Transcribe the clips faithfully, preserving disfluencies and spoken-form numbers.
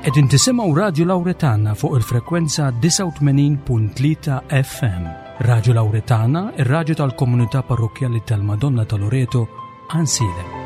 Qegħdin tisimgħu Radio Lauretana fuq il-frekwenza disgħa u tmenin punt tlieta F M. Radio Lauretana, ir-raġu tal-komunità parrokkjali tal-Madonna ta' Loreto, Għajnsielem.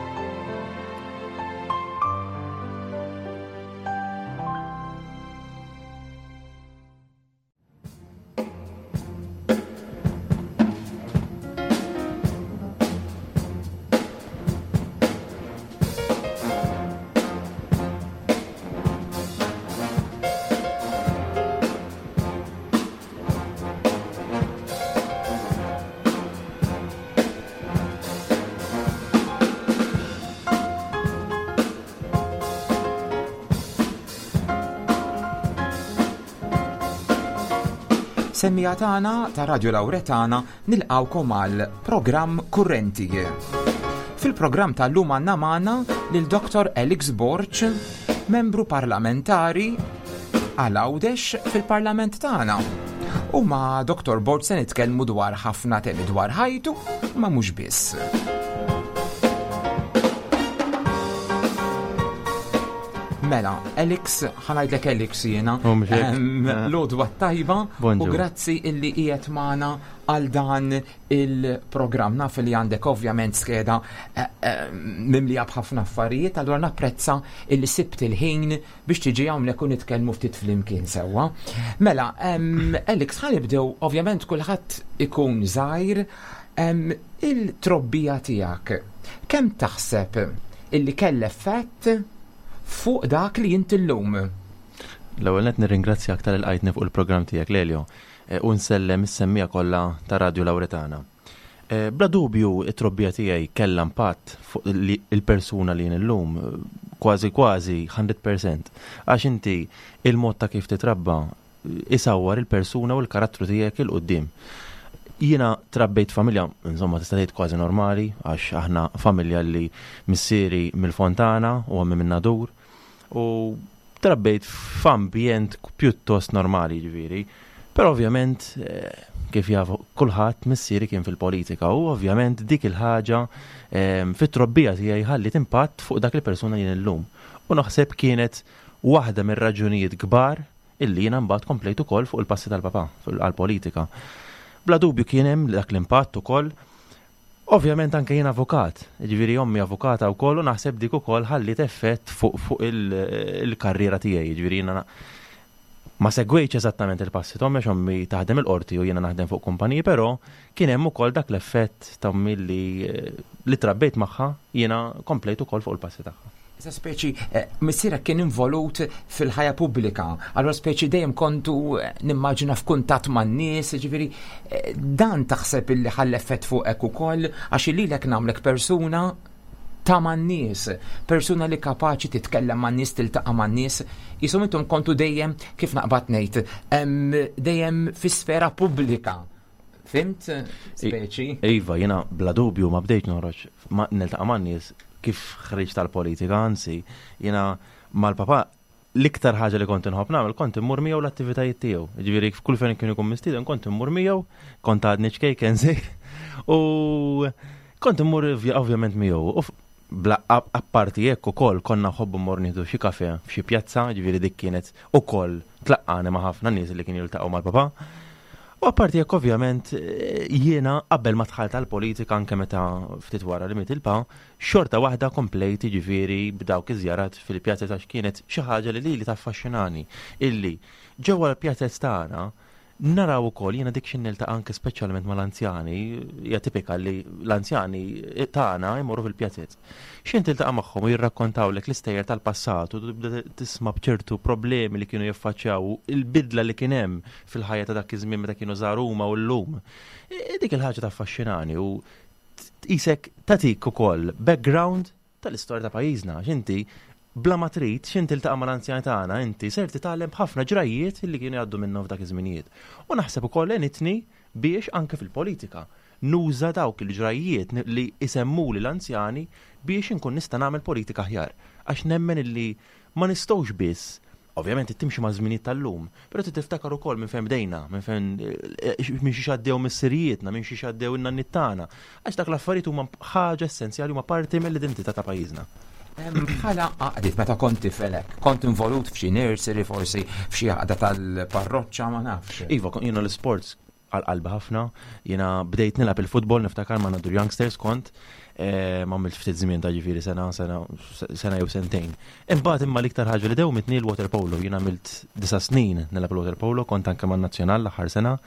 Semmiegħa tagħna ta' Radio Lauretana, nilqgħukom għal programm Kurrenti. Fil-programm tal-lum għandna magħna lil Doktor Alex Borg, membru parlamentari għal Għawdex fil-parlament tagħna. U ma' Doktor Borg se nitkellmu dwar ħafna temi dwar ħajtu, ma mhux biss. Mela, Alex, ħa ngħidlek Alex jiena. U mhux hekk. Em, L-għodwa tajba u Bonġu. grazzi illi qiegħed magħna għal dan il-programm. Naf li għandek ovvjament skeda eh, eh, mimlija b'ħafna affarijiet, allura napprezza illi sibt il-ħin biex tiġi hawnhekk u nitkellmu ftit flimkien sewwa. Mela, em, Alex, ħa nibdew. Ovvjament kulħadd ikun żgħir, em, il-trobbija tiegħek. Kemm taħseb illi kell effett fuq dak li inti llum? L-ewwel net nirringrazzjak talli lqajtni fuq il-programm tiegħek, Lelio, eh, u nsellem is-semmiegħa kollha ta' Radio Lauretana. Eh, Bla dubju, it-trobbija tiegħi kellha impatt fuq li- il-persuna li jien illum, eh, kważi kważi mija fil-mija. Għax inti il-mod ta' kif titrabba eh, isawwar il-persuna u l-karattru tiegħek 'il quddiem. Jiena trabbejt familja, insomma, tista' tgħid kważi normali, għax aħna familja li missieri mill-Fontana u ommi minn Nadur u trabbejt f'ambjent pjuttost normali, ġifieri. Però ovvjament, eh, kif jafu kulħadd, missieri kien fil-politika u ovvjament dik il-ħaġa eh, fit-trobbija tiegħi ħallit impatt fuq dak il-persuna jien illum. U naħseb kienet waħda mir-raġunijiet kbar illi jiena mbagħad komplejt ukoll fuq il-passi tal-papà għall-politika. Bla dubju kien hemm dak l-impatt ukoll. Ovvjament anke jien avukat, ġifieri ommi avukata wkoll, u naħseb dik ukoll ħallit effett fuq fuq il- il-karriera tiegħi, ġifieri jiena ma segwejtx eżattament il-passi t'ommi għax ommi taħdem il-qorti u jiena naħdem fuq kumpaniji, però kien hemm ukoll dak l-effett ta' ommi li li trabbejt magħha, jiena komplejt ukoll fuq il-passi tagħha. Issa speċi, eh, missierek kien involut fil-ħajja pubblika, allura speċi dejjem kontu eh, nimmaġina f'kuntatt man-nies, ġifieri eh, dan taħseb illi ħalla effett fuqek ukoll, għax lilek nagħmlek persuna ta' man-nies, persuna li kapaċi titkellem man-nies, tiltaqa' man-nies, jisom intom kontu dejjem, kif naqbad ngħid, em, dejjem fi sfera pubblika. Fhimt? Speċi? Iva, jiena bla dubju ma bdejt noħroġ ma niltaqa' man-nies kif ħriġt tal-politika, anzi, jiena mal-papa l-iktar ħaġa li kont inħobb nagħmel kont immur miegħu l-attivitajiet tiegħu. Ġifieri f'kull fejn kien ikun mistieden kont immur miegħu, kont għadni ċkejken żgħir. U kont immur ovvja- ovvjament miegħu. U f- bla ap- apparti hekk ukoll konna nħobbu mmorru nieħdu xi kafe f'xi pjazza, ġifieri dik kienet ukoll tlaqqani ma' ħafna nies li kienu jiltaqgħu mal-papa. U apparti jekk ovvjament eh, jiena qabel ma dħalt għal-politika, anke meta ftit wara li miet il-pa, xorta waħda komplejt ġifieri b'dawk iż-żjarat fil-pjazza għax kienet xi ħaġa li lili taffaxxinani illi ġewwa l-pjazza tagħna naraw ukoll jiena dik xi niltaqa' anke speċjalment mal-anzjani, hija tipika li l-anzjani tagħna jmorru fil-pjazez. X'ħin tiltaqa' magħhom u jirrakkontawlek l-istejjer tal-passat u tibda tisma' b'ċertu problemi li kienu jaffaċċjaw, il-bidla li kien hemm fil-ħajja ta' dak iż-żmien meta kienu żgħar huma u llum. E, Dik il-ħaġa taffaxxinani u tqisek tatik ukoll background tal-istorja ta' pajjiżna, għax inti bla ma trid x'ħin tiltaqa' mal-anzjani tagħna inti ser titgħallem ħafna ġrajiet li kienu jgħaddu minnhom f'dak iż-żminijiet. U naħseb ukoll għenitni biex anke fil-politika nuża dawk il-ġrajiet li isemmuli l-anzjani biex inkun nista' nagħmel politika aħjar. Għax nemmen illi ma nistgħux biss, ovvjament timxi ma' żminijiet tal-lum, però trid tiftakar ukoll minn fejn bdejna, minn fejn eh, minn xi għaddew missirijietna, minn xi għaddew in-nanniet tagħna. Għax dak l-affarijiet huma ħaġa essenzjali, huma parti mill-identità ta' pajjiżna. Bħala għaqdiet meta kont tifel hekk, kont involut f'xi nursery forsi, f'xi għaqda tal-parroċċa, ma nafx? Iva, jiena l-sports għal-qalbi ħafna, jiena bdejt nilgħab il-futbol, niftakar ma' Nadur Youngsters kont, eh, ma għamilt ftit żmien ta' ġifieri sena, sena, sena jew sentejn. Imbagħad imma l-iktar ħaġa li dewmitni l-water polo, jiena għamilt disa' snin nilgħab il-water polo, kont anke man-nazzjonal l-aħħar sena,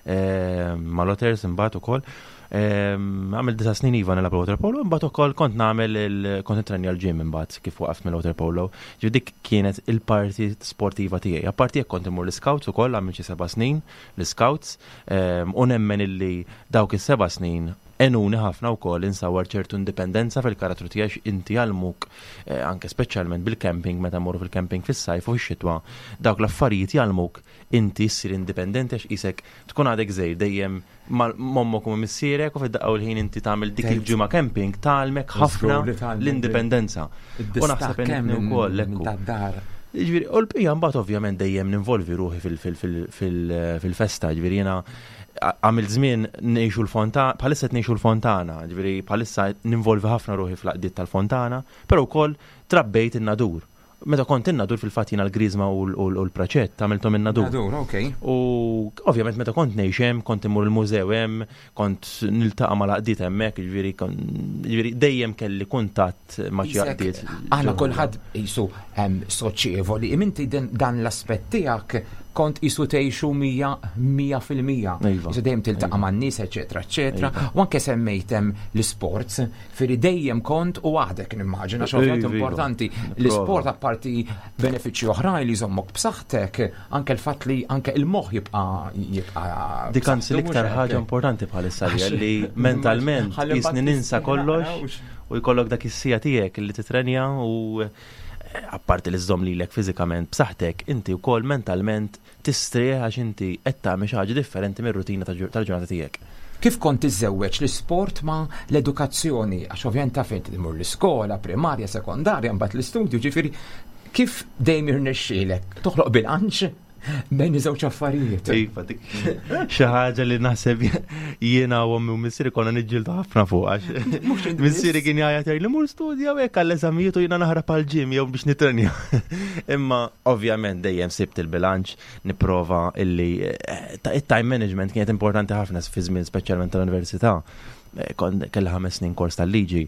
eh, mal-Otters imbagħad ukoll. Għamilt disa' snin iva nilgħab il-water polo, imbagħad ukoll kont nagħmel il kont nitrenja l-gym imbagħad kif waqaft mill-water polo. Ġifieri dik kienet il-parti sportiva tiegħi. Apparti jekk kont immur l-scouts ukoll, għamilt xi seba' snin l-scouts, u nemmen illi dawk is-seba' snin għenuni ħafna wkoll insawar ċertu indipendenza fil-karattru tiegħi. Inti jgħallmuk eh, anke speċjalment bil-camping, meta mmorru fil-camping fis-sajf u x-xitwa, dawk l-affarijiet jgħallmuk inti ssir indipendenti għax isek tkun għadek żgħir dejjem m'ommok u missierek u fid-daqqa u l-ħin inti tagħmel dik il-ġimgħa camping tgħallmek ħafna l-indipendenza. U naħseb ukoll ekku. Ġifieri, u l-bqija mbagħad ovvjament dejjem ninvolvi ruħi fil-festa, ġifieri jiena għamil żmien ngħixu l-Fontana, bħalissa qed ngħixu l-Fontana, ġifieri bħalissa ninvolvi ħafna ruħi fl-għaqdiet tal-Fontana, però wkoll trabbejt in-Nadur. Meta kont in-Nadur fil-fatt jiena l-Griżma u l-Praċett għamilthom in-Nadur. Nadur, ok. U ovvjament meta kont ngħix hemm, kont immur il-mużew hemm, kont niltaqa' mal-għaqdiet hemmhekk, ġifieri ġifieri dejjem kelli kuntatt ma' xi għaqdiet. Aħna kulħadd qisu soċjevoli, inti dan l-aspett tiegħek kont qisu tgħixu mija mija fil-mija. Iva. Qisu dejjem tiltaqa' man-nies, eċetera, eċetera. Iva. U anke semmejt hemm l-sports, firri dejjem kont u għadek nimmaġina xi Iva, iva. importanti. L-isport apparti benefiċċji oħrajn li jżommok b'saħħtek, anke l-fatt li anke il-moħħ jibqa' jibqa' Dik anzi l-iktar ħaġa importanti bħalissa li mentalment Ħalli jisni mbagħad ninsa tistina kollox narawx. u jkollok dak is-siegħa tiegħek li titrenja u apparti li żżomm lilek fiżikament b'saħħtek, inti wkoll mentalment tistrieħ għax inti qed tagħmel xi ħaġa differenti mir-rutina tal-ġurnata tiegħek. Kif kont tiżżewweġ l-isport ma l-edukazzjoni? Għax ovvjament taf inti tmur l-iskola, primarja, sekondarja, mbagħad l-istudju, ġifieri kif dejjem irnexxielek toħloq bilanċ bejn iż-żewġ affarijiet? Iva, dik xi ħaġa li naħseb jiena u ommi u missieri konna niġġieldu ħafna fuq għax missieri kien jgħajjat jgħid li mur studja u hekk għall-eżamijiet u jiena naħrab għall-gym jew biex nitrenja. Imma ovvjament dejjem sibt il-bilanċ, nipprova illi eh, it-time management kienet importanti ħafna fi żmien speċjalment tal-università. Eh, kont kelli ħames snin kors tal-liġi,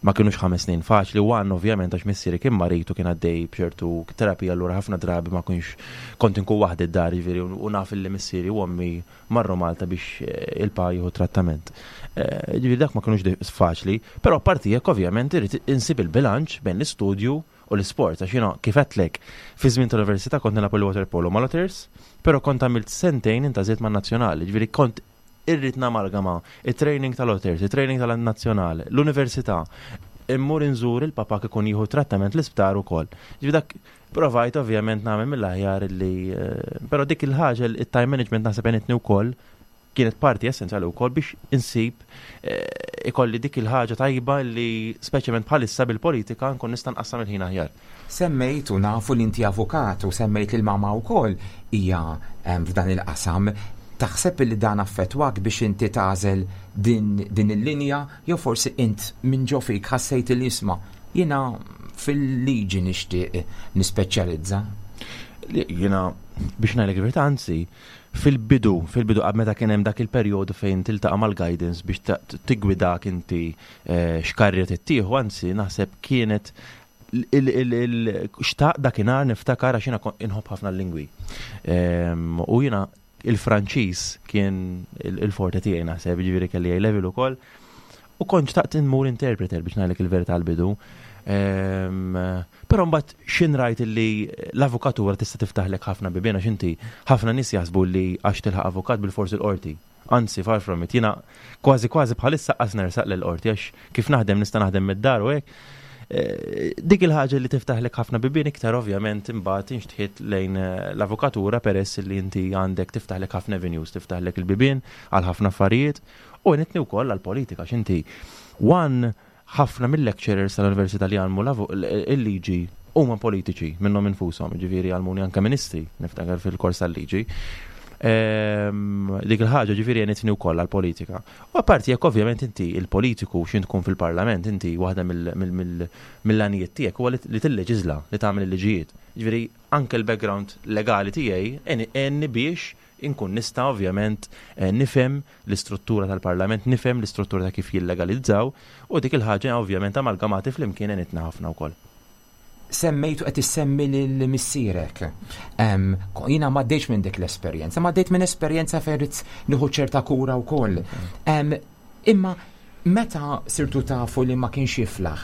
ma kienux ħames snin faċli, u għan ovvjament għax missieri kien marid u kien għaddej b'ċertu terapija, allura ħafna drabi ma kienx kont inkun waħdi d-dar, ġifieri, u naf li missieri u ommi marru Malta biex eh, il-pa jieħu trattament. Eh, ġifieri dak ma kienux faċli, però apparti hekk ovvjament irid insib il-bilanċ bejn l-istudju u l-isport, għax jiena kif għedtlek fi żmien tal-università kont nilgħab il-water polo mal-Otters, però kont għamilt sentejn intgħażilt man-nazzjonali, ġifieri kont irrid namalgama il-training tal-Otters, il-training tal-nazzjonali, l-università, immur inżur il-papa kikun jieħu trattament l-isptar ukoll. Ġifieri dak provajt ovvjament nagħmel mill-aħjar li, eh, però dik il-ħaġa, il-time management naħseb għenitni wkoll, kienet parti essenzjali wkoll biex insib eh, ikolli dik il-ħaġa tajba li speċjalment bħalissa bil-politika nkun nista' nqassam il-ħin aħjar. Semmejt u nafu li inti avukat u semmejt li l-mama wkoll hija f'dan il-qasam. Taħseb li dan affettwak biex inti tagħżel din, din il-linja jew forsi int minn ġo fik ħassejt li isma' jiena fil-liġi nixtieq nispeċjalizza? Jiena biex ngħidlek il-verità, anzi fil-bidu, fil-bidu qabel meta kien hemm dak il-perjodu fejn tiltaqa' mal-guidance biex tiggwidak inti eh, x'karriera tittieħu, anzi naħseb kienet xtaqt dakinhar niftakar għax jiena inħobb ħafna l-lingwi. Ehm, u jiena il-Franċiż kien il-forte tiegħi naħseb, ġifieri kelli A level ukoll. U kont xtaqt inmur interpreter biex ngħidlek il-verità għal-bidu. Ehm, però mbagħad xin rajt li l-avukatura tista' tiftaħlek ħafna bibien għax inti ħafna nies jaħsbu li għax tilħaq avukat bil-forsi l-qorti. Anzi, far from it, jiena kważi kważi bħalissa qas nersaq l-qorti għax kif naħdem nista' naħdem mid-dar u hekk. Eh, dik il-ħaġa li tiftaħlek ħafna bibien iktar ovvjament imbagħad inxtħit lejn eh, l-avukatura peress li inti għandek tiftaħlek ħafna avenues, tiftaħlek il-bibien għal ħafna affarijiet u għenitni wkoll għall-politika x'inti one ħafna mill-lecturers tal-Università li għallmu il-liġi huma politiċi minnhom infushom, ġifieri għallmuni anke ministri niftakar fil-kors tal-liġi. Ehm, dik il-ħaġa ġifieri għenitni wkoll għall-politika. U apparti jekk ovvjament inti il-politiku x'int tkun fil-parlament, inti waħda mill-għanijiet tiegħek huwa li tilleġiżla, li tagħmel il-liġijiet. Ġifieri anke l-background legali tiegħi għenni biex inkun nista' ovvjament eh, nifhem l-istruttura tal-parlament, nifhem l-istruttura ta' kif jillegalizzaw u dik il-ħaġa ovvjament amalgamati flimkien għenitna ħafna wkoll. Semmejtu qed issemmi lil missierek. Jiena ma għaddejtx minn dik l-esperjenza, ma għaddejt minn esperjenza fejn ridt nieħu ċerta kura wkoll. Imma meta sirtu tafu li ma kienx jiflaħ,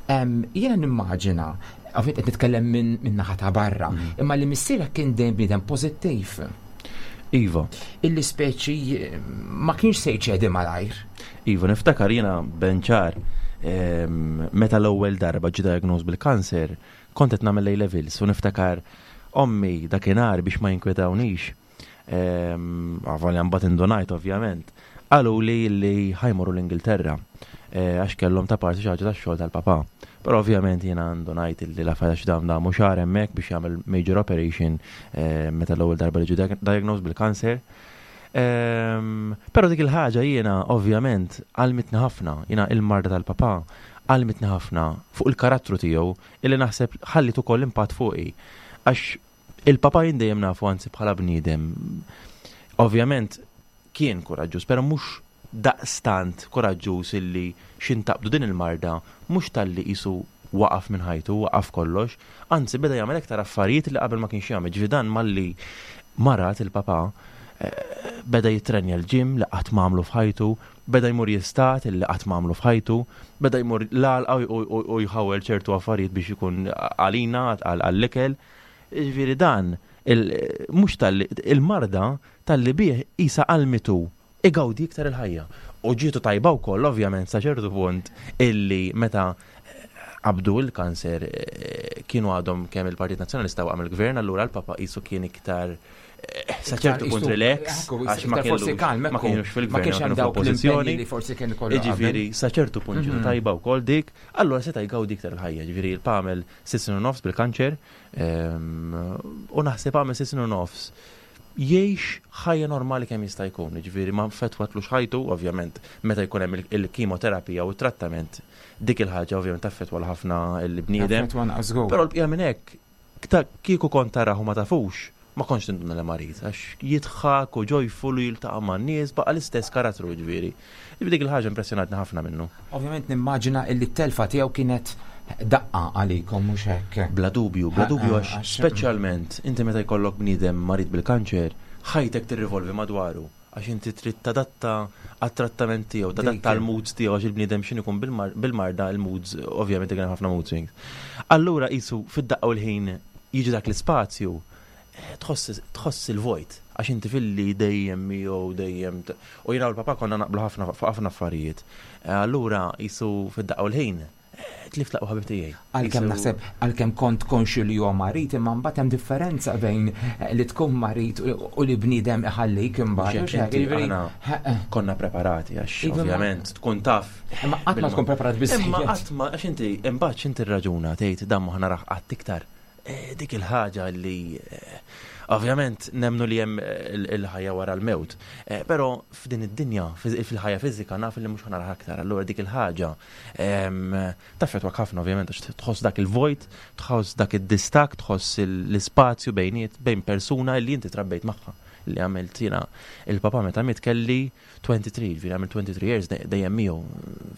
jiena nimmaġina, ovvjament qed nitkellem minn naħa ta' barra, mm. imma li missierek kien dejjem bniedem pożittiv. Iva. Illi speċi ma kienx se jċedi malajr. Iva, niftakar jiena benċar meta l-ewwel darba ġi diagnosed bil-kanser, kont qed nagħmel A levels u niftakar ommi dakinhar biex ma jinkwetawnix. Avolja mbagħad indunajt ovvjament. Qalu li li ħa jmorru l-Ingilterra eh, għax kellhom ta' parti xi ħaġa tax-xogħol tal-papà. Però ovvjament jiena ndunajt li l-affarijiet dawn damu xahar hemmhekk biex jagħmel major operation eh, meta l-ewwel darba li ġie diagnosed bil-kanser. Però dik il-ħaġa jiena ovvjament għallmitni ħafna, jiena il-marda tal-papà għallmitni ħafna fuq il-karattru tiegħu illi naħseb ħallit ukoll impatt fuqi. Għax il-papà jien dejjem nafu anzi bħala bniedem. Ovvjament kien kuraġġuż, però mhux daqstant kuraġġuż illi x'intaqbdu din il-marda mhux talli qisu waqaf minn ħajtu, waqaf kollox, anzi beda jagħmel iktar affarijiet li qabel ma kienx jagħmel. Ġifieri dan malli marad il-papà eh, beda jitrenja l-gym li qatt m'għamlu f'ħajtu, beda jmur jistad li qatt m'għamlu f'ħajtu, beda jmur l-għalqa u jħawel ċertu affarijiet biex ikun għalina għall-ikel. Ġifieri dan, mhux talli il-marda talli bih isa għallmitu igawdi iktar il-ħajja. U ġietu tajba wkoll ovvjament sa ċertu punt illi meta qabdu il-kanser eh, kienu għadhom kemm il-Partit Nazzjonalista waqam il-Gvern, allura l-Papa qisu kien iktar eh, sa ċertu punt relax, għax ma forsi kalm, ma kienux fil-gvern, ma kienx hemm kienu dawk fl-oppożizzjoni. l-impenji li forsi kien ikollu qabel. Ġifieri, sa ċertu punt ġietu Mhm. tajba wkoll dik, allura seta' jgawdi iktar il-ħajja. Ġifieri il-pa għamel sitt snin u nofs bil-kanċer, ehm, u naħseb għamel sitt snin u nofs jgħix ħajja normali kemm jista' jkun. Ġifieri ma affettwatlux ħajtu, ovvjament, meta jkun hemm il- il-kimoterapija u t-trattament, dik il-ħaġa ovvjament taffettwa ħafna l-bniedem. Affettwa naqas żgur. Però l-bqija minn hekk, kta- kieku kont tarahu ma tafux, ma kontx tinduna li marid, għax jidħak u joyful u jiltaqa' man-nies, baqa' l-istess karattru ġifieri. Ġifieri dik il-ħaġa impressjonatni ħafna minnu. Ovvjament nimmaġina illi t-telfa tiegħu kienet daqqa għalikom mhux hekk. Bla dubju, bla Ha, dubju ha, għax għax- speċjalment inti meta jkollok bniedem marid bil-kanċer, ħajtek tirrivolvi madwaru għax inti trid tadatta għat-trattament tiegħu, tadatta Dik. għal-moods tiegħu għax il-bniedem x'in ikun bil-mar- bil-marda il-moods, ovvjament ikun hemm ħafna mood swings. Allura qisu fid-daqqa u l-ħin jiġi dak l-ispazju, eh, tħoss tħoss il-vojt għax inti filli dejjem miegħu dejjem t- u jiena u l-papa konna naqblu ħafna fuq ħafna affarijiet. Eh, Allura qisu fid-daqqa u l-ħin eh, tlift l-aqwa ħabib tiegħi. Għalkemm Qisu- naħseb għalkemm kont konxju li huwa marid imma mbagħad hemm differenza bejn eh, li tkun marid u u li bniedem iħallik imbagħad. Mhux mhux hekk, hekk, inti jiġifieri, aħna ha, eh, konna preparati għax Iva, ma- ovvjament tkun taf. Imma qatt ma tkun preparat Imma biżejjed. qatt ma għax inti imbagħad x'inti raġuna tgħid dan ma ħa narah qatt iktar. Eh, Dik il-ħaġa li eh, ovvjament nemnu li hemm eh, il- il-ħajja wara l-mewt. Eh, Però f'din id-dinja, fiż- fil-ħajja fiżika naf li mhux ħa narah aktar. Allura dik il-ħaġa em, taffettwak ħafna ovvjament għax tħoss dak il-vojt, tħoss dak id-distak, tħoss l-ispazju bejniet bejn persuna li inti trabbejt magħha li għamilt jiena il-papa meta miet kelli twenty-three, ġifieri għamilt twenty-three years dej- dejjem miegħu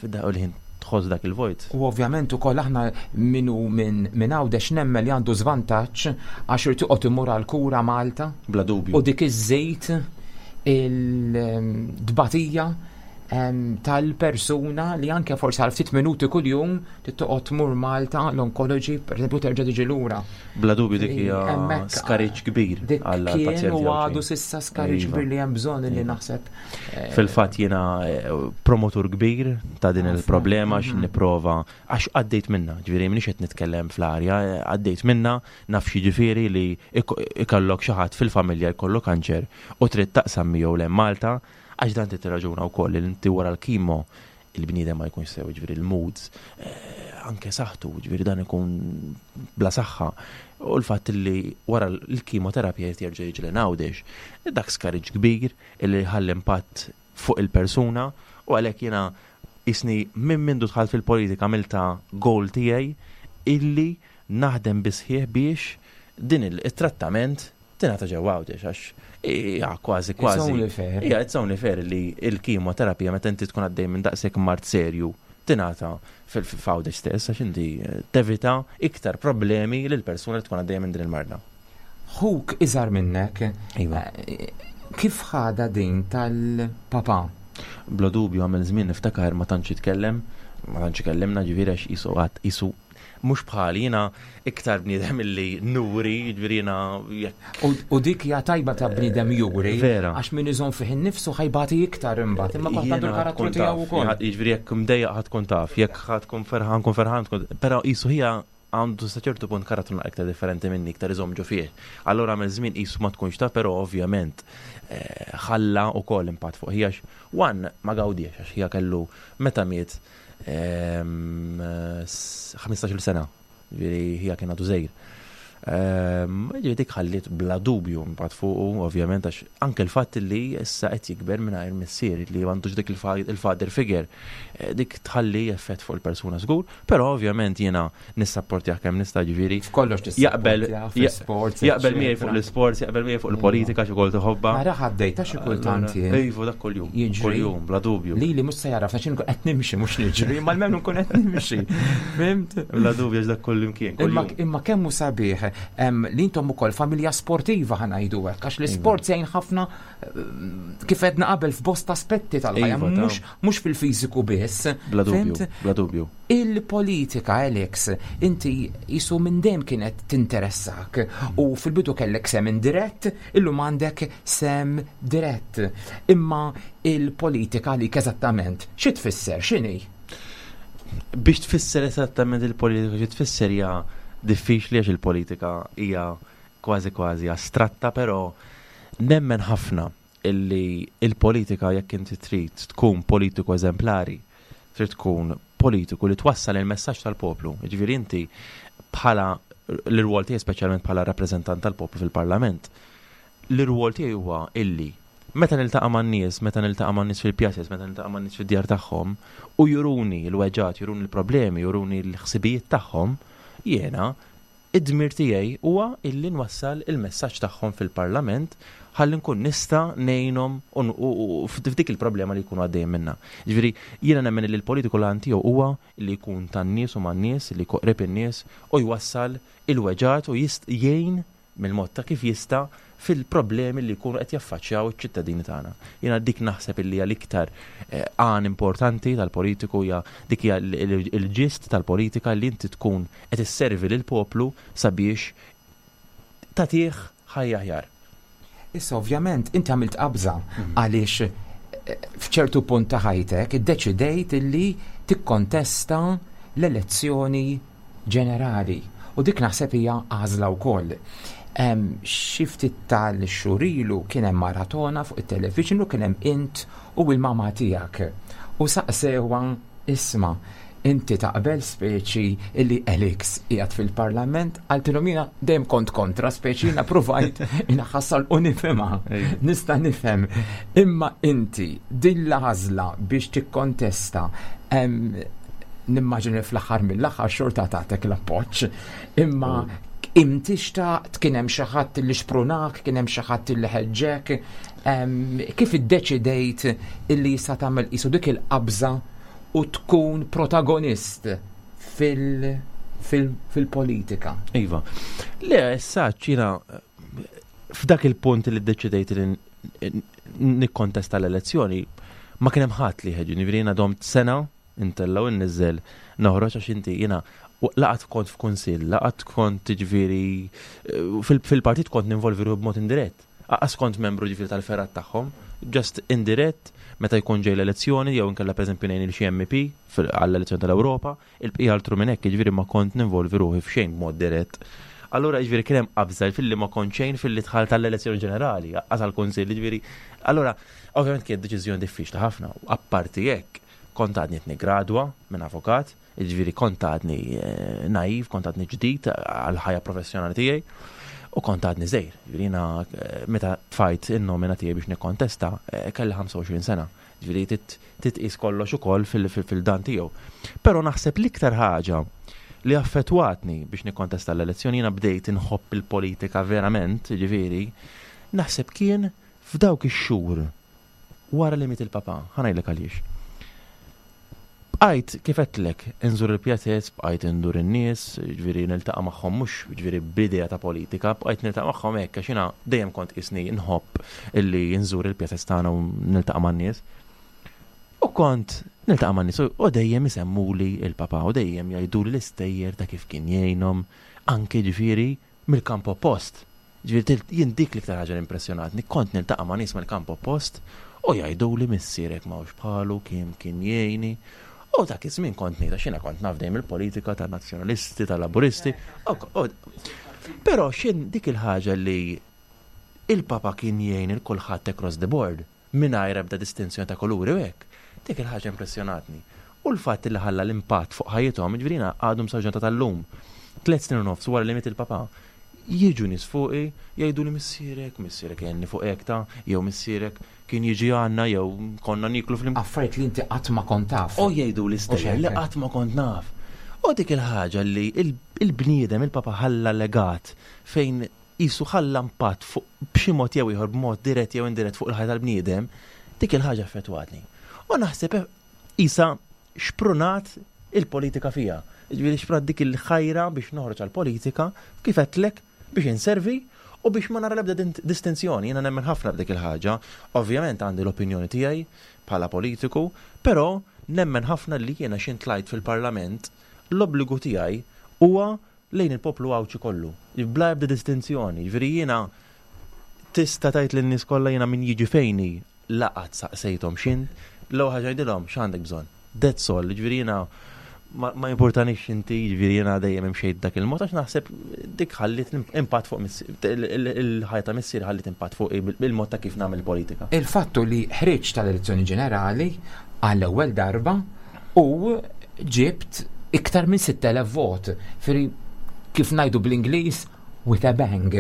fid-daqqa u l-ħin tħoss dak il-vojt. U ovvjament ukoll aħna minu minn min Għawdex nemmen li għandu żvantaġġ għax irid toqgħod imur għal kura Malta Bla dubju. u dik iż-żejt il-dbatija em, tal-persuna li anke forsi għal ftit minuti kuljum trid toqgħod tmur Malta l-oncology, per eżempju, terġa' tiġi lura. Bla dubju dik hija Hemmhekk, skariġġ kbir Dik għall kien pazjenti u għadu Għawdxin. s'issa skariġġ Iva. kbir li hemm bżonn li Iva. naħseb. eh, Fil-fatt jiena eh, promotur kbir ta' din Ħafna. il-problema għax Mhm. nipprova għax għaddejt minna, ġifieri m'iniex qed nitkellem fl-arja, eh, għaddejt minna naf xi ġifieri li ik- ikollok xi ħadd fil-familja jkollu kanċer u trid taqsam miegħu lejn Malta għax dan trid tirraġuna wkoll li inti wara l-kimo Il-bniedem ma jkunx sew, ġifieri l-moods, eh, anke saħħtu, ġifieri dan ikun bla saħħa. U l-fatt li wara l-kimoterapija jerġa' jiġi Għawdex, dak skariġġ kbir illi ħalli impatt fuq il-persuna, u għalhekk jiena isni minn mindu dħalt fil-politika għamilta goal tiegħi illi naħdem bisħieħ biex din il-trattament tingħata ġewwa Għawdex, għax hija kważi kważi. It's only fair. Hija it's only fair li l-kimoterapija, meta inti tkun għaddej minn daqshekk mard serju, tingħata f'Għawdex stess, għax inti eh, tevita iktar problemi lil persuna li tkun għaddejja minn din il-marda. Ħuk iżgħar minnek. Iva. Eh, kif ħada din tal-papa? Bla dubju għamel żmien, niftakar, ma tantx jitkellem, ma tantx ikellimna, ġifieri għax qisu għad qisu mhux bħali, jiena iktar bniedem illi nuri, ġifieri jiena jekk U, u dik hija tajba ta' bniedem juri. Vera. Għax min iżomm fih innifsu ħa jbati iktar imbagħad, imma kulħadd għandu l-karattru tiegħu wkoll. Jiġifieri jekk mdejjaq ħa tkun taf, jekk ħa tkun ferħan kun ferħan tkun, però qisu hija għandu sa ċertu punt karattru iktar differenti minni, iktar iżomm ġo fih. Allura għamel żmien qisu ma tkunx taf, però ovvjament eh, ħalla ukoll impatt fuq ħija, one ma gawdiex għax ħija kellu meta miet ehm, s- ħmistax-il sena, ġifieri ħija kien għadu żgħir. Ehm, Ġifieri dik ħalliet bla dubju impatt fuqu, ovvjament, għax anke l-fatt li issa qed jikber mingħajr missier li m'għandux dik il-fa- il-father figure, eh, dik tħalli effett fuq il-persuna żgur, però ovvjament jiena nissapportjah kemm nista', ġifieri F'kollox jaqbel tissapportja, fl-sports. jaqbel miegħi fuq l-sports, jaqbel miegħi fuq il-politika xi kol tħobbha. Ara ħaddejta xi kultant jien. Iva, dak kuljum. Jiġri. Kuljum, bla dubju. Li li mhux se jaraf għax inkun qed nimxi, mhux niġri, ma l-menu nkun qed nimxi. Fhimt? Bla dubju, għax dak kull imkien. Imma, kuljum. imma kemm hu sabiħ em, li intom ukoll familja sportiva, ħa ngħidu hekk, għax l-isport jgħin ħafna, eh, kif għedna qabel, f'bosta aspetti tal-ħajja, Iva, ta' mhux mhux fil-fiżiku biss. Bla dubju, Fhimt? bla dubju. Il-politika, Alex, inti qisu minn dejjem kienet tinteressak u fil-bidu kellek sehem indirett, illum għandek sehem dirett. Imma il-politika li eżattament, xi tfisser, x'inhi? Biex tfisser esattament il-politika xi tfisser hija diffiċli, għax il-politika hija kważi kważi astratta, però nemmen ħafna illi il-politika, jekk inti trid tkun politiku eżemplari, trid tkun politiku li twassal il-messaġġ tal-poplu. Jiġifieri inti bħala l-rwol tiegħi, speċjalment bħala rappreżentant tal-poplu fil-Parlament, l-rwol tiegħi huwa illi meta niltaqa' man-nies, meta niltaqa' man-nies fil-pjazez, meta niltaqa' man-nies fid-djar tagħhom u juruni l-weġgħat, juruni l-problemi, juruni l-ħsibijiet tagħhom, jiena id-dmir tiegħi huwa illi nwassal il-messaġġ tagħhom fil-Parlament ħalli nkun nista' ngħinhom u u- u f'dik il-problema li jkunu għaddejjin minnha. Ġifieri jiena nemmen li l-politiku l tiegħu huwa li jkun tan-nies u man-nies, li jkun qrib in-nies u jwassal il-weġgħat u jist jgħin mill-mod ta' kif jista' fil-problemi li jkunu qed jaffaċċjaw iċ-ċittadini tagħna. Jiena dik naħseb illi hija l-iktar eh, għan importanti tal-politiku, hija dik, hija l- il- il-ġist tal-politika, li inti tkun qed isservi lill-poplu sabiex tagħtih ħajja aħjar. Issa ovvjament inti għamilt qabża għaliex eh, f'ċertu punt ta' ħajtek iddeċidejt illi tikkontesta l-elezzjoni ġenerali. U dik naħseb hija għażla wkoll. Em, Xi ftit tal-xhur ilu kien hemm maratona fuq it-television u kien hemm int u l-mama tiegħek. U saqsewha, "Isma', inti taqbel speċi illi Alex qiegħed fil-Parlament?" Qaltilhom, "Jiena dejjem kont kontra, speċi jiena provajt inħassal u nifhimha. Nista' nifhem. Imma inti din l-għażla biex tikkontesta, em, nimmaġini fl-aħħar mill-aħħar xorta tagħtek l-appoġġ. Imma inti xtaqt, kien hemm xi ħadd li xprunak, kien hemm xi ħadd li ħeġġek, em, kif iddeċidejt illi jista' tagħmel qisu dik il-qabża u tkun protagonist fil- fil- fil-politika? Iva. Le, issa jiena f'dak il-punt li ddeċidejt li n- nikkontesta l-elezzjoni, ma kien hemm ħadd li ħeġġuni, ġifieri jiena domt sena intella' u nniżżel noħroġ, għax inti jiena u lanqas kont f'kunsill, lanqas kont, ġifieri eh, fil- fil-partit kont ninvolvi ruħi b'mod indirett. Lanqas kont membru, ġifieri, tal-fergħat tagħhom, just indirett meta jkun ġej l-elezzjoni jew inkella pereżempju ngħin il xi M P fil- għall-elezzjoni tal-Ewropa, il-bqija altru minn hekk, ġifieri ma kont ninvolvi ruħi f'xejn b'mod dirett. Allura ġifieri kien hemm qabża filli ma kont xejn filli dħalt tal-elezzjoni ġenerali, għaż għall-kunsill, ġifieri. Allura ovvjament kienet deċiżjoni diffiċli ħafna, u apparti hekk Kont għadni qed niggradwa minn avukat, jiġifieri kont għadni eh, naiv, kont għadni ġdid għall-ħajja professjonali tiegħi u kont għadni żgħir. Jiġifieri jiena eh, meta tfajt in-nomina tiegħi biex nikkontesta eh, kelli ħamsa u għoxrin sena. Jiġifieri titqis kollox ukoll fil-dan tiegħu. Però naħseb l-iktar ħaġa li affettwatni biex nikkontesta l-elezzjoni, jiena bdejt inħobb il-politika verament, ġifieri, naħseb kien f'dawk ix-xhur wara li miet il-papa, ħa ngħidlek għaliex. Bqajt kif għedtlek, inżur il-pjazez, bqajt indur in-nies, ġifieri niltaqa' magħhom mhux ġifieri b'idea ta' politika, bqajt niltaqa' magħhom hekk għax jiena dejjem kont isni nħobb illi nżur il-pjazez tagħna u niltaqa' man-nies. U kont niltaqa' man-nies u dejjem isemmuli il-papa u dejjem jgħiduli l-istejjer ta' kif kien jgħinhom anke ġifieri mill-kamp oppost. Ġifieri jien dik l-iktar ħaġa li impressjonatni, kont niltaqa' ma' nies mill-kamp oppost u jgħiduli missierek m'hawnx bħalu, kien kien jgħini. U dak iż-żmien kont ngħid għax jiena kont naf dejjem il-politika tan-nazzjonalisti, tal-laburisti. Però xin dik il-ħaġa li il-papa kien jgħin il kulħadd across the board mingħajr ebda distinzjoni ta' kuluri u hekk. Dik il-ħaġa impressjonatni. U l-fatt li ħalla l-impatt fuq ħajjithom, ġifieri għadhom sal-ġurnata tal-lum. Tliet snin u nofs wara li miet il-papa, jiġu nies fuqi jgħidu li missierek, missierek jgħinni fuq hekk ta' jew missierek kien jiġi għandna jew konna niklu fl Affarijiet li inti qatt ma kont taf. U jgħidu l-istejjer li qatt ma kont naf. U dik il-ħaġa li il-bniedem, il-papa ħalla legat fejn jisu ħalla impatt fuq b'xi mod jew ieħor, b'mod dirett jew indirett, fuq il-ħajja tal-bniedem, dik il-ħaġa affettwatni. U naħseb isa xprunat il-politika fija. Ġifieri xprunat dik il-ħajra biex noħroġ għal-politika, kif għedtlek, biex inservi u biex ma nara l-ebda distinzjoni. Jiena nemmen ħafna b'dik il-ħaġa. Ovvjament għandi l-opinjoni tiegħi bħala politiku, però nemmen ħafna li jiena xin tlajt fil-parlament, l-obbligu tiegħi huwa lejn il-poplu Għawdxi kollu. Bla ebda distinzjoni. Ġifieri jiena tista' tgħid lin-nies kollha, jiena min jiġi fejni laqat saqsejthom xin, l-ewwel ħaġa jgħidilhom x'għandek bżonn. That's all. Ġifieri jiena ma, ma importanix inti, ġifieri jiena dejjem imxejt dak il-mod għax naħseb dik ħallit impatt fuq il-ħajja ta' missier, ħallit impatt fuq il-mod ta' kif nagħmel politika. Il-fattu li ħriġt tal-elezzjoni ġenerali għall-ewwel darba u ġibt iktar minn sitt elef vot. Ġifieri kif ngħidu bl-Ingliż, with a bang.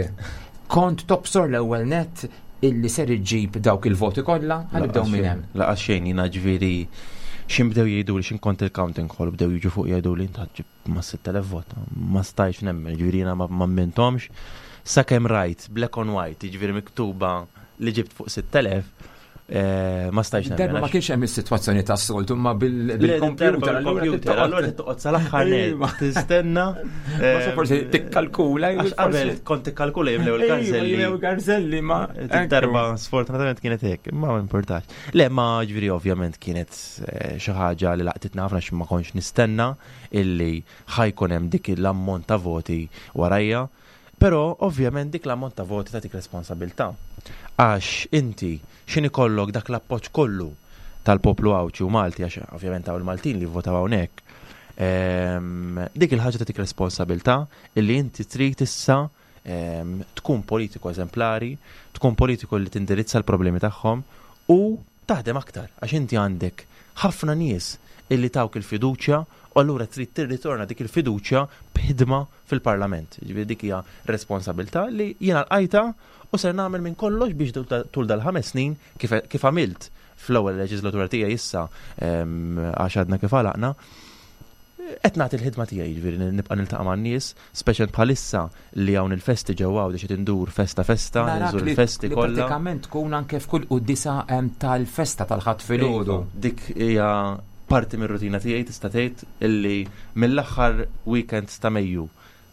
Kont tobsor l-ewwel net illi ser iġġib dawk il-voti kollha? Ħa nibdew minn hemm. Lanqas xejn, jiena ġifieri xin bdew jgħidu li xin kont il-counting hall bdew jiġu fuq jgħidu li inta ġib ma sitt elef vot. Ma stajx nemmen, ġifieri jiena ma emminthomx. Sakemm rajt black on white, ġifieri miktuba li ġibt fuq sitt elef, eh, ma stajx nemmen. Darba ma kienx hemm is-sitwazzjoni tas-soltu ma bil-computer. Bil-computer, allura toqgħod sal-aħħar Iva. tistenna. Ma forsi tikkalkula. Għax qabel kont tikkalkula jimlew il-garzelli. Jimlew garzelli ma. Darba sfortunatament kienet hekk, ma ma importax. Le, ma ġifieri ovvjament kienet eh, xi ħaġa li laqtitna ħafna xi ma kontx nistenna illi ħa jkun hemm dik l-ammont ta' voti warajja. Però ovvjament dik l-ammont ta' voti tagħtik responsabilità. Għax inti xin ikollok dak l-appoġġ kollu tal-poplu Għawdxi u Malti, għax ovvjament hawn il-Maltin li votaw hawnhekk. Ehm, dik il-ħaġa tagħtik responsabilità illi inti trid issa ehm, tkun politiku eżemplari, tkun politiku li tindirizza l-problemi tagħhom u taħdem aktar għax inti għandek ħafna nies illi tawk il-fiduċja u allura trid tirritorna dik il-fiduċja b'ħidma fil-parlament. Ġifieri dik hija responsabilità li jiena lqajtha u ser nagħmel minn kollox biex tul dal-ħames snin, kif kif għamilt fl-ewwel leġislatura tiegħi issa ehm, għax għadna kif għalaqna, qed nagħti l-ħidma tiegħi, ġifieri nibqa' niltaqa' man-nies, speċjal bħalissa li hawn il-festi ġewwa Għawdex qed indur festa festa, Narak nżur li il-festi li kollha. Pratikament tkun anke f'kull quddisa em, tal-festa tal-Ħadd filgħodu. Iva, dik hija parti mir-rutina tiegħi, tista' tgħid illi mill-aħħar weekend ta' Mejju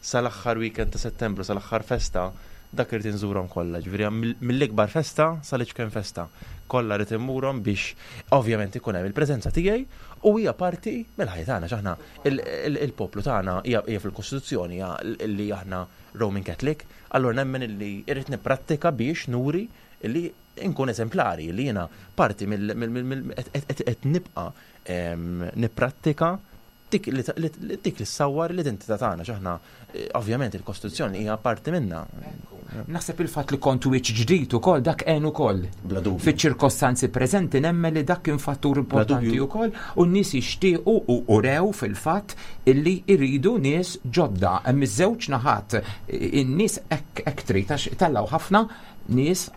sal-aħħar weekend ta' Settembru, sal-aħħar festa, dak irid inżurhom kollha. Ġifieri mill- mill-ikbar festa sal-iċken festa. Kollha rrid immurhom biex ovvjament ikun hemm il-preżenza tiegħi u hija parti mill-ħajja tagħna x'aħna il- il- il-poplu tagħna hija hija fil-Kostituzzjoni hija li aħna Roman Catholic, allura nemmen illi irrid nipprattika biex nuri illi nkun eżemplari li jiena parti mill mill- mill- mill- qed- qed qed nibqa' em, nipprattika Dik li dik li ssawwar l-identità tagħna, x'aħna ovvjament il-Kostituzzjoni hija parti minna. Naħseb il-fatt li kontu wiċċ ġdid ukoll dak għen ukoll. Bla dubju. Fiċ-ċirkostanzi preżenti nemmen li dak kien fattur importanti wkoll u n-nies jixtiequ u urew fil-fatt illi jridu nies ġodda. Hemm iż-żewġ naħat, in-nies hekk trid għax tellgħu ħafna nies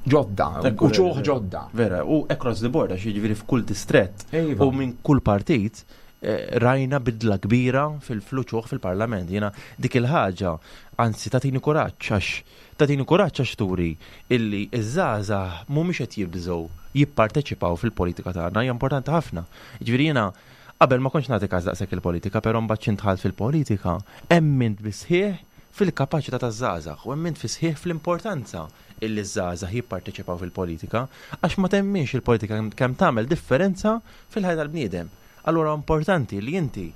ġodda, uċuħ ġodda. Vera, u across the board, għax jiġifieri f'kull distrett u minn kull partit rajna bidla kbira fil-fluċuħ fil-parlament. Jiena dik il-ħaġa, anzi tatini kuraġġ għax tatini kuraġġ għax turi illi iż-żgħażagħ mhumiex qed jibżgħu jipparteċipaw fil-politika tagħna, hija importanti ħafna. Jiġifieri jiena qabel ma kontx nagħti każ daqshekk il-politika, però mbagħad xi ndħalt fil-politika, emmint bisħieħ fil-kapaċità taż-żgħażagħ u emmint fisħieħ fl-importanza illi ż-żgħażagħ jipparteċipaw fil-politika, għax ma temminx il-politika kemm tagħmel differenza fil-ħajja tal-bniedem. Allura importanti li inti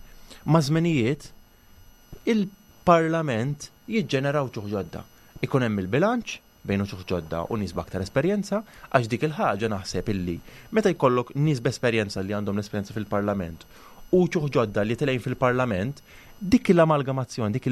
ma' żmenijiet il-parlament jiġġeneraw uċuħ ġodda. Ikun hemm il-bilanċ bejn uċuħ ġodda u nies b'aktar esperjenza, għax dik il-ħaġa naħseb illi meta jkollok nies b'esperjenza li għandhom l-esperjenza fil-parlament u uċuħ ġodda li telgħin fil-parlament, dik l-amalgamazzjoni, dik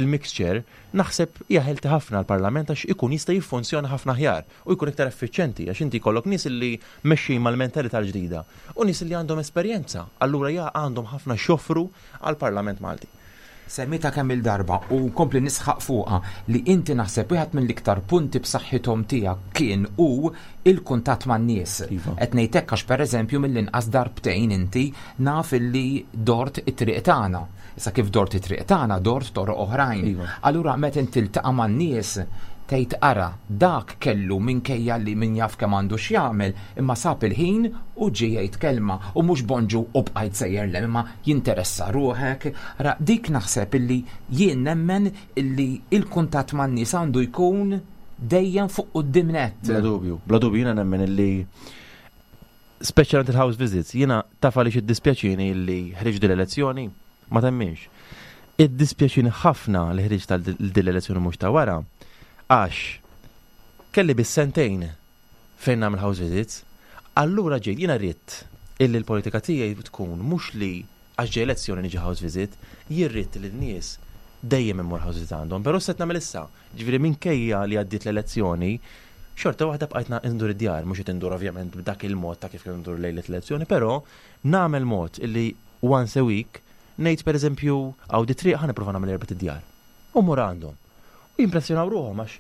il-mixture, naħseb hija healthy ħafna l-parlament għax ikun jista' jiffunzjona ħafna aħjar u jkun iktar effiċjenti għax inti jkollok nies li mexxin mal-mentalità l-ġdida u nies li għandhom esperjenza, allura ja għandhom ħafna x'joffru għall-Parlament Malti. Semmita kemm il-darba u nkompli nisħaq fuqha li inti naħseb wieħed mill-iktar punti b'saħħithom tiegħek kien hu il-kuntatt man-nies. Iva. Qed ngħid hekk għax pereżempju mill-inqas darbtejn inti naf illi dort it-triq tagħna. Issa kif dort it-triq tagħna, dort toroq oħrajn. Iva. Allura meta inti tiltaqa' man-nies tgħid ara dak kellu minkejja li min jaf kemm għandu x'jagħmel, imma sab il-ħin u ġie jgħid kelma u mhux bonġu u bqajt sejjer lem, imma jinteressa ruħek. Ra dik naħseb illi jien nemmen illi il-kuntatt man-nies għandu jkun dejjem fuq quddiem nett. Bla dubju, bla dubju jiena nemmen illi speċjalment il-house visits, jiena taf għaliex iddispjaċini illi ħriġt din l-elezzjoni, ma temminx. Iddispjaċini ħafna li ħriġt tal din l-elezzjoni mhux ta' wara, għax kelli bis sentejn fejn nagħmel house visits, allura ġejt jiena rrid illi l-politika tiegħi tkun mhux li għax ġej elezzjoni niġi house visit, jien rrid li n-nies dejjem immur house visit għandhom, però set nagħmel issa. Ġifieri minkejja li għaddiet l-elezzjoni, xorta waħda bqajt indur id-djar, mhux qed indur ovvjament b'dak il-mod ta' kif kien indur lejlet l-elezzjoni, però nagħmel mod illi once a week ngħid pereżempju hawn di triq ħa nipprova nagħmel erba' id-djar. U mmur għandhom. U jimpressjonaw ruħhom għax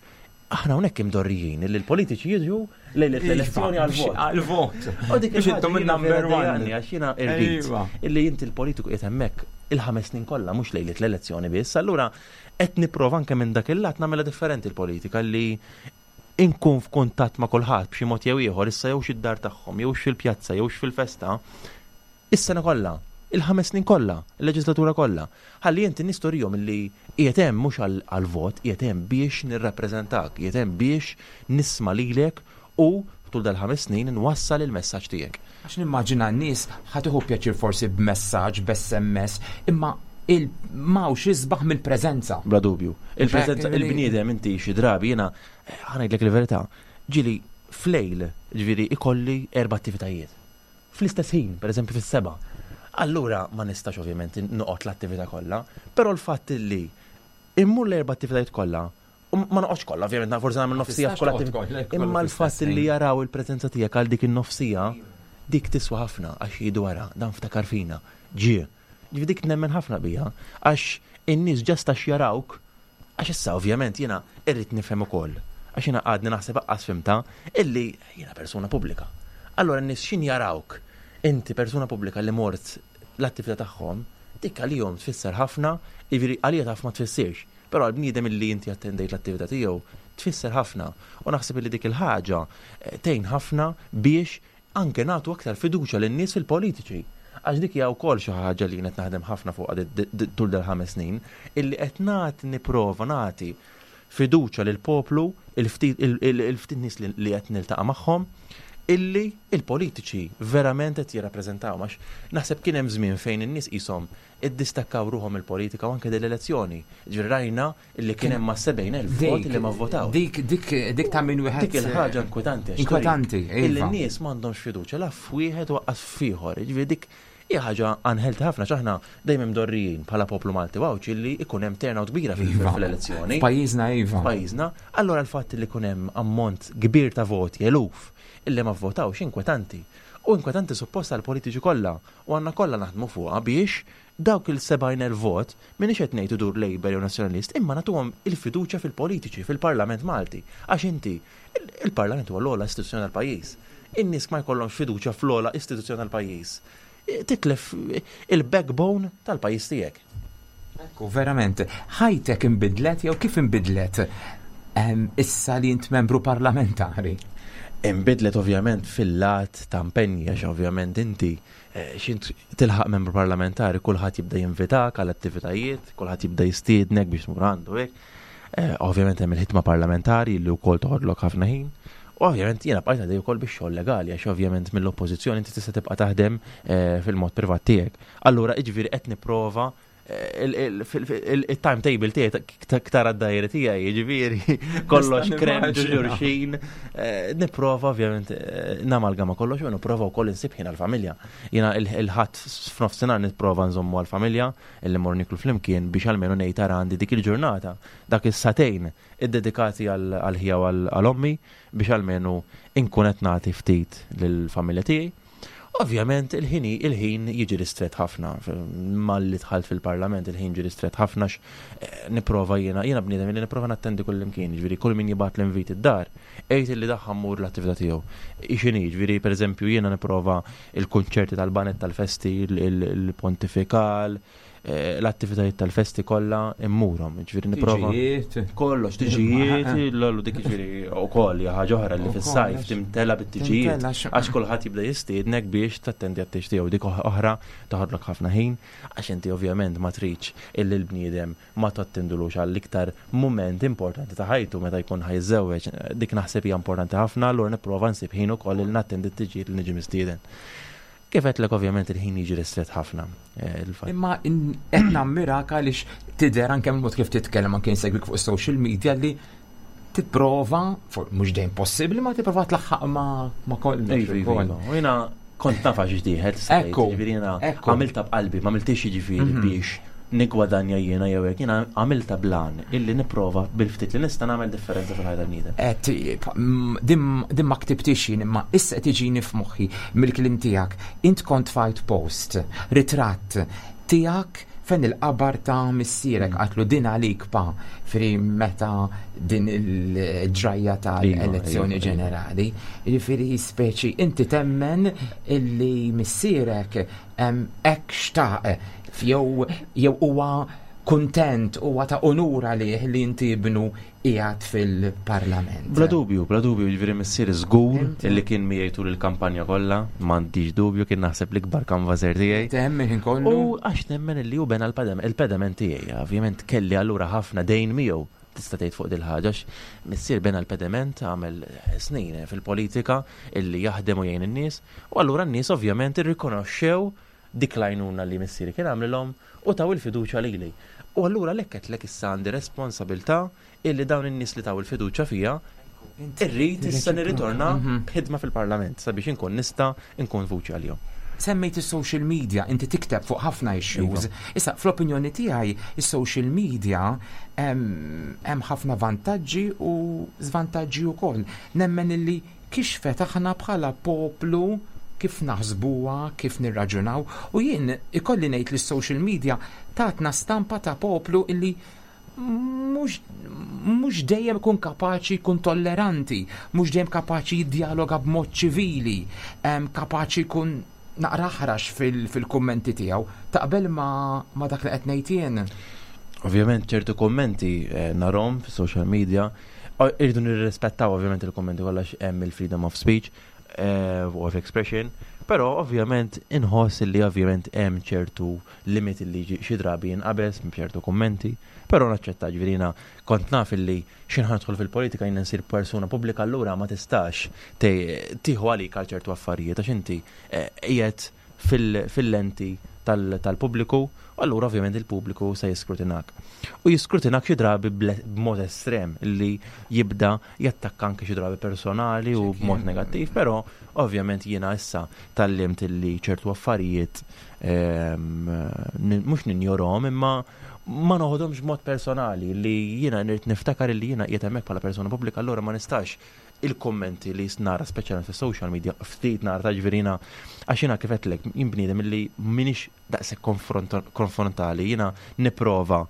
aħna hawnhekk imdorrijin li l-politiċi jiġu lejlet l-elezzjoni għal-vot. Għal-vot. U dik Biex intom il-ħaġa jiena il-number vera one. dejjaqni, għax jiena irrid Ejwa. illi inti l-politiku qiegħed hemmhekk il-ħames snin kollha mhux lejlet l-elezzjoni biss. Allura qed nipprova anke minn dak il-lat nagħmilha differenti l-politika li inkun f'kuntatt ma' kulħadd b'xi mod jew ieħor, issa jew xid-dar tagħhom, jew fil-pjazza, jew fil-festa, is-sena kollha, il-ħames snin kollha, il-leġislatura kollha. Ħalli inti nistorihom illi qiegħed hemm mhux għal-vot, qiegħed hemm biex nirrappreżentak, qiegħed hemm biex nisma' lilek u tul dal-ħames snin nwassal il-messaġġ tiegħek. Għax nimmaġina n-nies ħa tieħu pjaċir forsi b'messaġġ, b'S M S, imma il-mawx isbaħ mill-preżenza. Bla dubju. Il-preżenza, Li- il-bniedem inti xi drabi jiena ħa ngħidlek il-verità, ġieli flejl, ġifieri ikolli erba' attivitajiet. Fl-istess ħin, pereżempju fis-seba'. Allura ma nistax ovvjament noqgħod l-attività kollha, però l-fatt li immur l-erba' attivitajiet kollha, u ma noqgħodx kollha, ovvjament forsi nagħmel nofsija tistax f'kull toqgħod attività. kollha, kollha Imma fl-istess l-fatt li ħin. jaraw il-preżenza tiegħek għal dik in-nofsija, dik tiswa ħafna għax jgħidu wara, dan ftakar fina, ġie. Ġifieri dik nemmen ħafna bija, għax in-nies just għax jarawk, għax issa ovvjament jiena irrid nifhem ukoll, għax jiena għadni naħseb aqqas fhimtha, illi jiena persuna pubblika. Allura n-nies xin jarawk, inti persuna pubblika li mort l-attività tagħhom, dik għalihom tfisser ħafna, jiġifieri għalija taf ma tfissirx, però għal bniedem illi inti attendejt l-attività tiegħu tfisser ħafna. U naħseb illi dik il-ħaġa eh, tgħin ħafna biex anke nagħtu aktar fiduċja lin-nies fil-politiċi. Għax dik hija wkoll xi ħaġa li qed naħdem ħafna fuqha di- di- di- tul dal-ħames snin, illi qed nagħti nipprova nagħti fiduċja lil poplu, il-ftit il- il- il-ftit nies li li qed niltaqa' magħhom, illi il-politiċi verament qed jirrappreżentaw, għax naħseb kien hemm żmien fejn in-nies qishom iddistakkaw ruħhom il-politika u anke dell-elezzjoni. Ġifieri rajna illi kien hemm ma' sebgħin elf vot li ma vvotaw. Dik, dik, dik ta' min wieħed. Dik il-ħaġa inkwetanti. Għax Inkwetanti, turik illi iva. n-nies m'għandhomx fiduċja la f'wieħed u lanqas f'ieħor. Ġifieri dik Hija ħaġa unhealthy ħafna x'aħna dejjem imdorrijin bħala poplu Malti Għawdxi li ikun hemm turnout kbira Iva. fil-elezzjoni. Pajjiżna iva. Pajjiżna, allora l-fatt li jkun hemm ammont kbir ta' voti, eluf, illi ma vvotawx inkwetanti. U inkwetanti supposta għal politiċi kollha u għandna kollha naħdmu fuqha biex dawk il-sebgħin vot minix qed ngħid idur Labour jew Nazzjonalist, imma nagħtuhom il-fiduċja fil-politiċi, fil-Parlament Malti. Għax inti, il-Parlament huwa l-ogħla istituzzjoni tal-pajjiż. In-nies ma jkollhomx fiduċja fl-ogħla istituzzjoni tal-pajjiż. Titlef il-backbone tal-pajjiż tiegħek. Ekku, verament, ħajtek imbidlet jew kif imbidlet issa li int membru parlamentari? Imbidlet ovvjament fil-lat ta' impenji, għax ovvjament inti eh, x'int tilħaq membru parlamentari, kulħadd jibda jinvitak għal attivitajiet, kulħadd jibda jistiednek biex tmur għandu hekk. Eh, ovvjament hemm il-ħidma parlamentari li wkoll toħodlok ħafna ħin. U ovvjament jiena bqajt għaddej ukoll bix-xogħol legali, għax ovvjament mill-oppożizzjoni inti tista' tibqa' taħdem eh, fil-mod privat tiegħek. Allura jiġifieri qed nipprova il-timetable tiegħi ktar għad-dajri tiegħi, jiġifieri kollox krem ġurxin. Eh, nipprova ovvjament eh, namalgama kollox u nipprova wkoll insib ħin għall-familja. Jiena il-Ħadd f'nofsinhar nipprova nżommu għall-familja illi mmorru nieklu flimkien biex almenu ngħid għandi dik il-ġurnata, dak is-sagħtejn iddedikati għal ħija u għal ommi biex almenu inkun qed nagħti ftit lill-familja tiegħi. Ovvjament il-ħin il-ħin jiġi ristret ħafna. Malli dħalt fil-parlament il-ħin ġi ristret ħafna, eh, nipprova jiena jiena bniedem li nipprova nattendi kull imkien, ġifieri kull min jibgħat l-invit id-dar, għedt li daħħa mmur l-attività tiegħu. Ixini, ġifieri pereżempju jiena nipprova il-kunċerti tal-baned tal-festi, il-pontifikal, eh, l-attivitajiet tal-festi kollha immurhom, ġifieri nipprova. Kollox, tiġijiet, l-ollu dik ġifieri ukoll hija ħaġa oħra li fis-sajf timtela bit-tiġijiet. Għax kulħadd jibda jistiednek biex tattendi għat-tieġ tiegħu, dik oħra toħodlok ħafna ħin, għax inti ovvjament ma tridx illi l-bniedem ma tattendulux għall-iktar moment importanti ta' ħajtu meta jkun ħa jiżżewweġ. Dik naħseb hija importanti ħafna, allura nipprova nsib ħin ukoll il nattendi t-tiġijiet li niġi mistieden. Kif għedtlek, ovvjament il-ħin jiġi ristret ħafna. Eh, Imma qed nammirak għaliex tidher anke mod kif titkellem, anke insegwik fuq social media, li tipprova, mhux dejjem possibbli, ma tipprova tlaħħaq ma kollox. Iva, iva, iva. U jiena kont naf għax dieħel, Ekku, ġifieri jiena għamilta b'qalbi, ma għamiltix jiġifieri mhm. biex nigwadanja jiena jew hekk, jiena għamilta blan illi nipprova bil-ftit li nista' nagħmel differenza fil-ħajja tal-bniedem. Din ma ktibtix jien, imma issa qed tiġini f'moħħi mill-kliem tiegħek. Int kont tfajt post, ritratt tiegħek fejn il-qabar ta' missierek, mm. għedtlu din għalik pa, fri meta din il-ġrajja ta' Iva, elezzjoni iva, iva. ġenerali. Jiġifieri speċi inti temmen illi missierek hekk xtaq jew jew huwa kuntent, huwa ta' onur għalih li inti ibnu qiegħed fil-parlament. Bla dubju, bla dubju, ġifieri missieri żgur Inti- illi kien miegħi tul il-kampanja kollha, m'għandix dubju, kien naħseb l-ikbar canvasser tiegħi. Temmen ħin kollu. U għax nemmen illi hu bena l-pedament tiegħi, ovvjament kelli allura ħafna dejn miegħu, tista' tgħid, fuq dil-ħaġa, missier bena l-pedament, għamel snin fil-politika illi jaħdem u jgħin in-nies, u allura n-nies ovvjament irrikonoxxew dik l-għajnuna li missieri kien għamlilhom u taw il-fiduċja lili. U allura għalhekk issa għandi responsabilità illi dawn in-nies li taw il-fiduċja fija irrid issa nirritorna Mhm. b'ħidma fil-parlament sabiex inkun nista' nkun vuċi għalihom. Semmejt is-social media, inti tikteb fuq ħafna issues. Iva. Issa, fl-opinjoni tiegħi, is-social media hemm hemm ħafna vantaġġi u żvantaġġi wkoll. Nemmen illi kixfet aħna bħala poplu kif naħsbuha, kif nirraġunaw, u jien ikolli ngħid li s-social media tatna stampa ta' poplu illi mhux mhux dejjem ikun kapaċi jkun tolleranti, mhux dejjem kapaċi jiddialoga b'mod ċivili, em, kapaċi jkun naqra aħrax fil-kummenti tiegħu. Taqbel ma, ma dak li qed ngħid jien? Ovvjament ċertu kommenti eh, narahom fi social media, o- irridu nirrispettaw ovvjament il-kommenti kollha, hemm il-freedom of speech eh, of expression, però ovvjament inħoss li ovvjament hemm ċertu limit li ġi- xi drabi jinqabeż minn ċertu kommenti, però naċċetta. Ġifieri jiena kont naf illi x'ħin ħa nidħol fil-politika jien nsir persuna pubblika, allura ma tistax te- tieħu għalik għal ċertu affarijiet għax inti eh, qiegħed fil-lenti tal-pubbliku, u allura ovvjament il-pubbliku se jiskrutinak. U jiskrutinak xi drabi b'mod estrem li jibda jattakka anke xi drabi personali u b'mod negattiv, però ovvjament jiena issa tgħallimt li ċertu affarijiet ehm, mhux ninjorhom, imma ma noħodhomx b'mod personali, li jiena nrid niftakar li jiena qiegħed hemmhekk bħala persuna pubblika, allura ma nistax il-kommenti li nara, speċjalment fis-social media, ftit nara ta', ġifieri għax jiena, kif għedtlek, jien bniedem illi m'iniex daqshekk konfrontali, jiena nipprova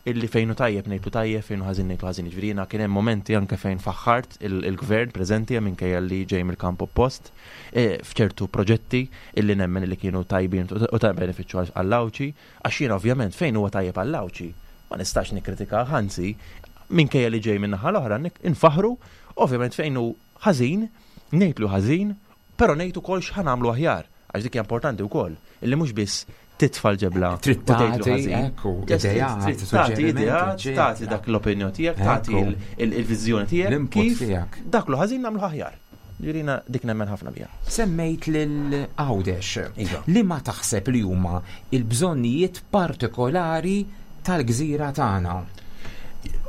illi fejn hu tajjeb ngħidlu tajjeb, fejn hu ħażin ngħidlu ħażin. Ġifieri kien hemm momenti anke fejn faħħart il-gvern preżenti, minkejja li ġej mill-kamp oppost, e, f'ċertu proġetti illi nemmen li kienu tajbin u ta' benefiċċju għall-Għawdxi, għax jiena ovvjament fejn huwa tajjeb għall-Għawdxi ma nistax nikkritika, anzi, minkejja li ġej minn naħa l-oħra infaħru, ovvjament fejn hu ħażin, ngħidlu ħażin, però ngħid ukoll x'ħa nagħmlu aħjar, għax dik hija importanti wkoll, illi mhux biss titfa' l-ġebla. Trid tagħti, ekku, ideat, tagħti ideat, tagħti dak l-opinjoni tiegħek, tagħti il-viżjoni tiegħek kif dak lu ħażin nagħmlu aħjar. Ġirina dik nemmen ħafna bija. Semmejt lil Għawdex. Iva. Li ma taħseb li huma il-bżonnijiet partikolari tal-gżira tagħna?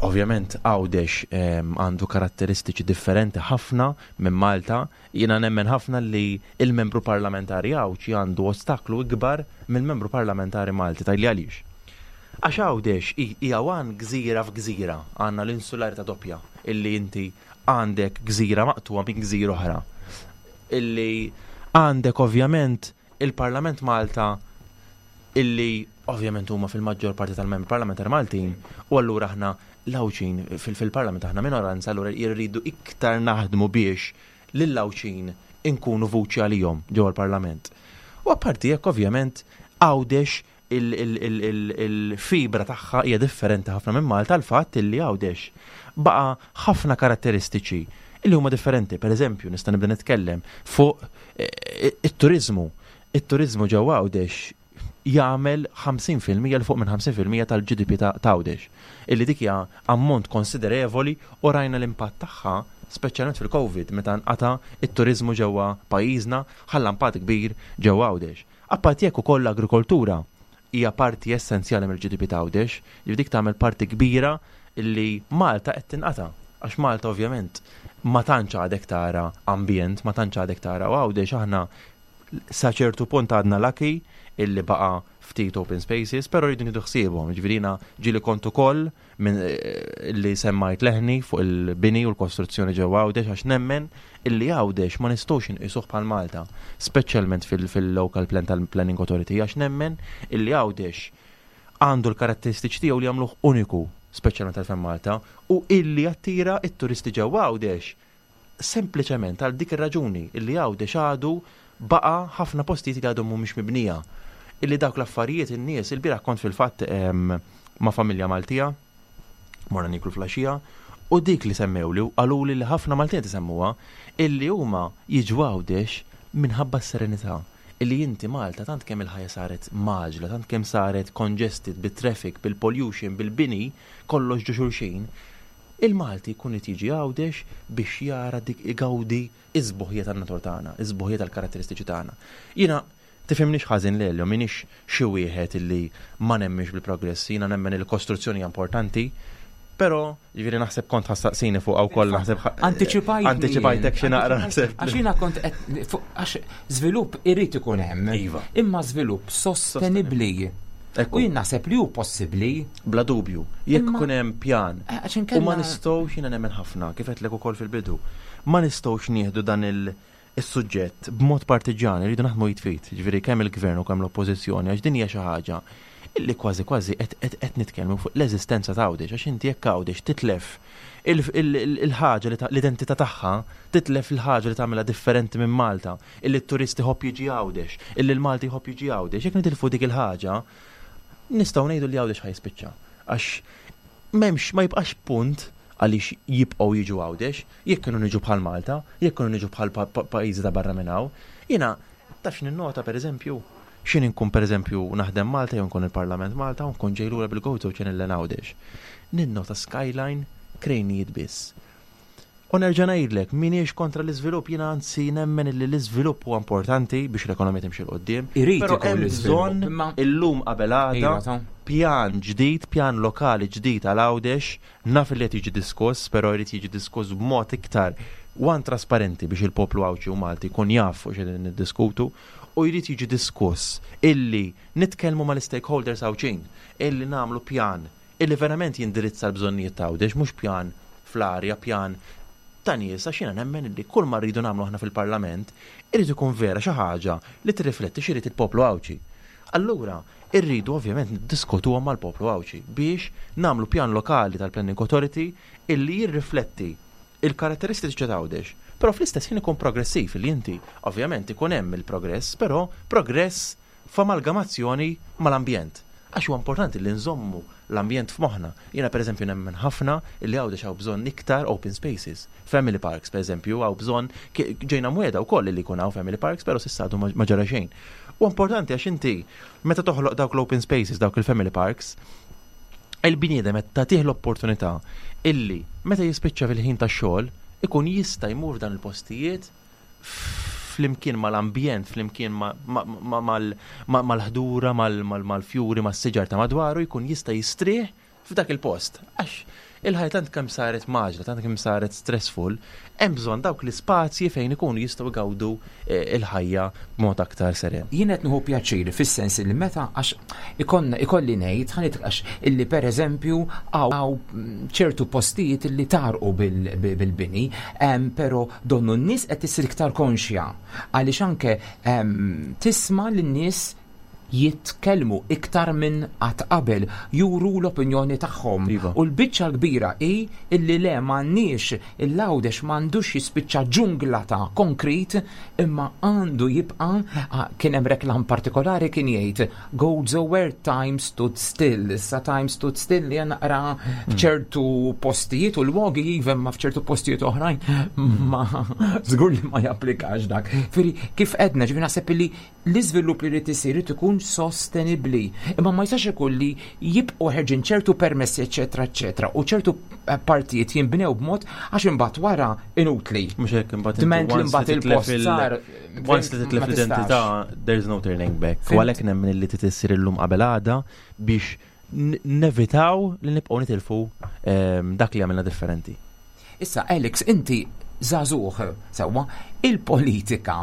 Ovvjament Għawdex għandu karatteristiċi differenti ħafna minn Malta. Jiena nemmen ħafna li il-membru parlamentari Għawdxi għandu ostaklu ikbar mill-membru parlamentari Malti. Tgħidli għaliex? Għax Għawdex hija wan gżira f'gżira, għandna l-insularità doppja, illi inti għandek gżira maqtugħa minn gżira oħra. Illi għandek ovvjament il-Parlament Malta, illi ovvjament huma fil-maġġor parti tal-membri parlamentari Maltin, u allura aħna l-Għawdxin fil-parlament aħna minoranza, allura jirridu iktar naħdmu biex lill-Għawdxin inkunu vuċi għalihom ġewwa l-parlament. U apparti jekk, ovvjament Għawdex il-fibra tagħha hija differenti ħafna minn Malta, l-fatt illi Għawdex baqa' ħafna karatteristiċi illi huma differenti. Per eżempju, nista' nibda nitkellem fuq eh, it-turizmu. It-turizmu ġewwa Għawdex jagħmel ħamsin fil-mija, 'l fuq minn ħamsin fil-mija tal-G D P ta' Għawdex. Illi dik hija ammont konsiderevoli u rajna l-impatt tagħha speċjalment fil-Covid, meta nqata it-turizmu ġewwa pajjiżna, ħalla impatt kbir ġewwa Għawdex. Apparti jekk ukoll l-agrikoltura hija parti essenzjali mill-G D P ta' Għawdex, li dik tagħmel parti kbira illi Malta qed tinqata'. Għax Malta ovvjament ma tantx għadek tara ambjent, ma tantx għadek tara, u Għawdex aħna sa ċertu punt għadna lucky illi baqa ftit open spaces, pero rridu nieħdu ħsiebhom. Ġifieri ġieli kont ukoll minn eh, li semmajt leħni fuq il-bini u l-kostruzzjoni ġewwa Għawdex, għax nemmen illi Għawdex ma nistgħux inqisuh bħal Malta, speċjalment fil-local plan tal-Planning Authority, għax nemmen illi Għawdex għandu l-karatteristiċi tiegħu li jagħmluh uniku, speċjalment tal Malta, u illi attira it-turisti ġewwa Għawdex sempliċement għal dik ir-raġuni illi Għawdex għadu baqa ħafna postijiet li għadhom mhumiex mibnija. Illi dawk l-affarijiet in-nies, il-bieraħ kont fil-fatt ma' familja Maltija, morna niklu filgħaxija, u dik li semmewli, qaluli li ħafna Maltija tisemmuha, illi huma jiġu Għawdex minħabba s-serenità. Illi inti Malta tant kemm il-ħajja saret mgħaġġla, tant kemm saret congested bit-traffic, bil-pollution, bil-bini, kollox ġo xulxin, il-Malti jkun jiġi Għawdex biex jara dik, igawdi is-sbuħija tan-natura tagħna, is-sbuħija tal-karatteristiċi tagħna. Jiena, tifhimnix ħażin, Lelio, m'iniex xi wieħed illi ma nemminx bil-progress, jiena nemmen il-kostruzzjoni hija importanti, però ġifieri naħseb kont ħa ssaqsini fuq għaw koll, naħseb Antiċipajt. Antiċipajtek xi naqra, naħseb. Għax jiena kont għax żvilupp irid ikun hemm. Iva. Imma żvilupp sostenibbli. U jien naħseb li hu possibbli. Bla dubju, jekk ikun hemm pjan. Eh, U ma nistgħux, jiena nemmen ħafna, kif għedtlek ukoll fil-bidu, ma nistgħux nieħdu dan il- is-suġġett b'mod partiġani, rridu naħdmu id f'id, ġifieri kemm il-gvern u kemm l-oppożizzjoni, għax din hija xi ħaġa illi kważi kważi qed nitkellmu fuq l-eżistenza ta' Għawdex, għax inti jekk Għawdex titlef il-ħaġa li l-identità tagħha, titlef il-ħaġa li tagħmilha differenti minn Malta, illi t-turisti jħobb jiġi Għawdex, illi l-Malti jħobb jiġi Għawdex, jekk nitilfu dik il-ħaġa, nistgħu ngħidu li Għawdex ħa jispiċċa. Għax m'hemmx, ma jibqax punt għaliex jibqgħu jiġu Għawdex, jekk kienu niġu bħal Malta, jekk kienu niġu bħal pajjiżi ta' barra minn hawn. Jiena taf ninnota, pereżempju, xin inkun pereżempju naħdem Malta jew nkun il-Parlament Malta u nkun ġej lura bil-Gozo Channel l Għawdex. Ninnota skyline krejnijiet biss. U nerġa' ngħidlek, m'iniex kontra l-iżvilupp, jiena anzi nemmen li l-iżvilupp huwa importanti biex l-ekonomija timxi 'l quddiem. Irid Però ikun hemm l-iżvilupp, bżonn imma- illum qabel għada Iva, ta' pjan ġdid, pjan lokali ġdid għal Għawdex, naf li qed jiġi diskuss, però jrid jiġi diskuss b'mod iktar one trasparenti biex il-poplu Għawdxi u Malti jkun jaf fuq x'qegħdin niddiskutu u jrid jiġi diskuss illi nitkellmu mal-stakeholders Għawdxin, illi nagħmlu pjan illi verament jindirizza l-bżonnijiet ta' Għawdex, mhux pjan fl-arja, pjan ta' nies, għax jiena nemmen illi kull ma rridu nagħmlu aħna fil-Parlament irid ikun vera xi ħaġa li tirrifletti x'irid il-poplu Għawdxi. Allura, irridu ovvjament niddiskutuhom mal-poplu Għawdxi biex nagħmlu pjan lokali tal-Planning Authority illi jirrifletti il-karatteristiċi ta' Għawdex. Però fl-istess ħin ikun progressiv li inti ovvjament ikun hemm il-progress, però progress f'amalgamazzjoni mal-ambjent. Għax huwa importanti li nżommu l-ambjent f'moħħna. Jiena pereżempju nemmen ħafna illi Għawdex hawn bżonn iktar open spaces. Family parks pereżempju hawn bżonn ki- ġejna mwiegħda wkoll li jkun hawn family parks, però s'issa għadu ma ma ġara xejn. U importanti għax inti meta toħloq dawk l-open spaces, dawk il-family parks, il-bniedem qed tagħtih l-opportunità illi meta jispiċċa fil-ħin tax-xogħol ikun jista' jmur f'dan il-postijiet flimkien mal-ambjent, flimkien ma- ma- ma- mal- ma- mal-ħdura, mal- mal- mal-fjuri, mas-siġar ta' madwaru, jkun jista' jistrieħ f'dak il-post. Għax il-ħajja tant kemm saret mgħaġġla, tant kemm saret stressful, hemm bżonn dawk l-ispazji fejn ikunu jistgħu jgawdu eh, il-ħajja b'mod aktar seren. Jien qed nieħu pjaċir fis-sens li meta għax ikonna ikolli ngħid ħa għax illi pereżempju hawn ċertu postijiet illi tarqu bil- bil-bini, em, però donnu n-nies qed issir iktar konxja għaliex anke em, tisma' lin-nies jitkellmu iktar minn qatt qabel, juru l-opinjoni tagħhom. Iva. U l-biċċa l-kbira hi illi le m'għandniex il-Għawdex m'għandux jispiċċa ġungla ta' konkrit imma għandu jibqa' ah, kien hemm reklam partikolari kien jgħid "Gozo where time stood still". Issa time stood still li naqra f'ċertu postijiet u lwogi iva ma f'ċertu postijiet oħrajn ma żgur li ma japplikax dak. Firri kif edna ġifieri naħseb li l-iżvilupp li jrid isir irid ikun sostenibbli. Imma ma jistax ikun li jibqgħu ħerġin ċertu permessi eċetera eċetera u ċertu eh, partijiet jinbnew b'mod għax imbagħad wara inutli. Mhux hekk imbagħad inti Dment li once mbagħad li titlef il-post il- sar Once li titlef ma tistax. l-identità, there's no turning back. Fhimt? U għalhekk nemmen li trid issir illum qabel għada biex n- nevitaw li nibqgħu nitilfu ehm, dak li għamilna differenti. Issa Alex, inti żagħżugħ, sewwa, il-politika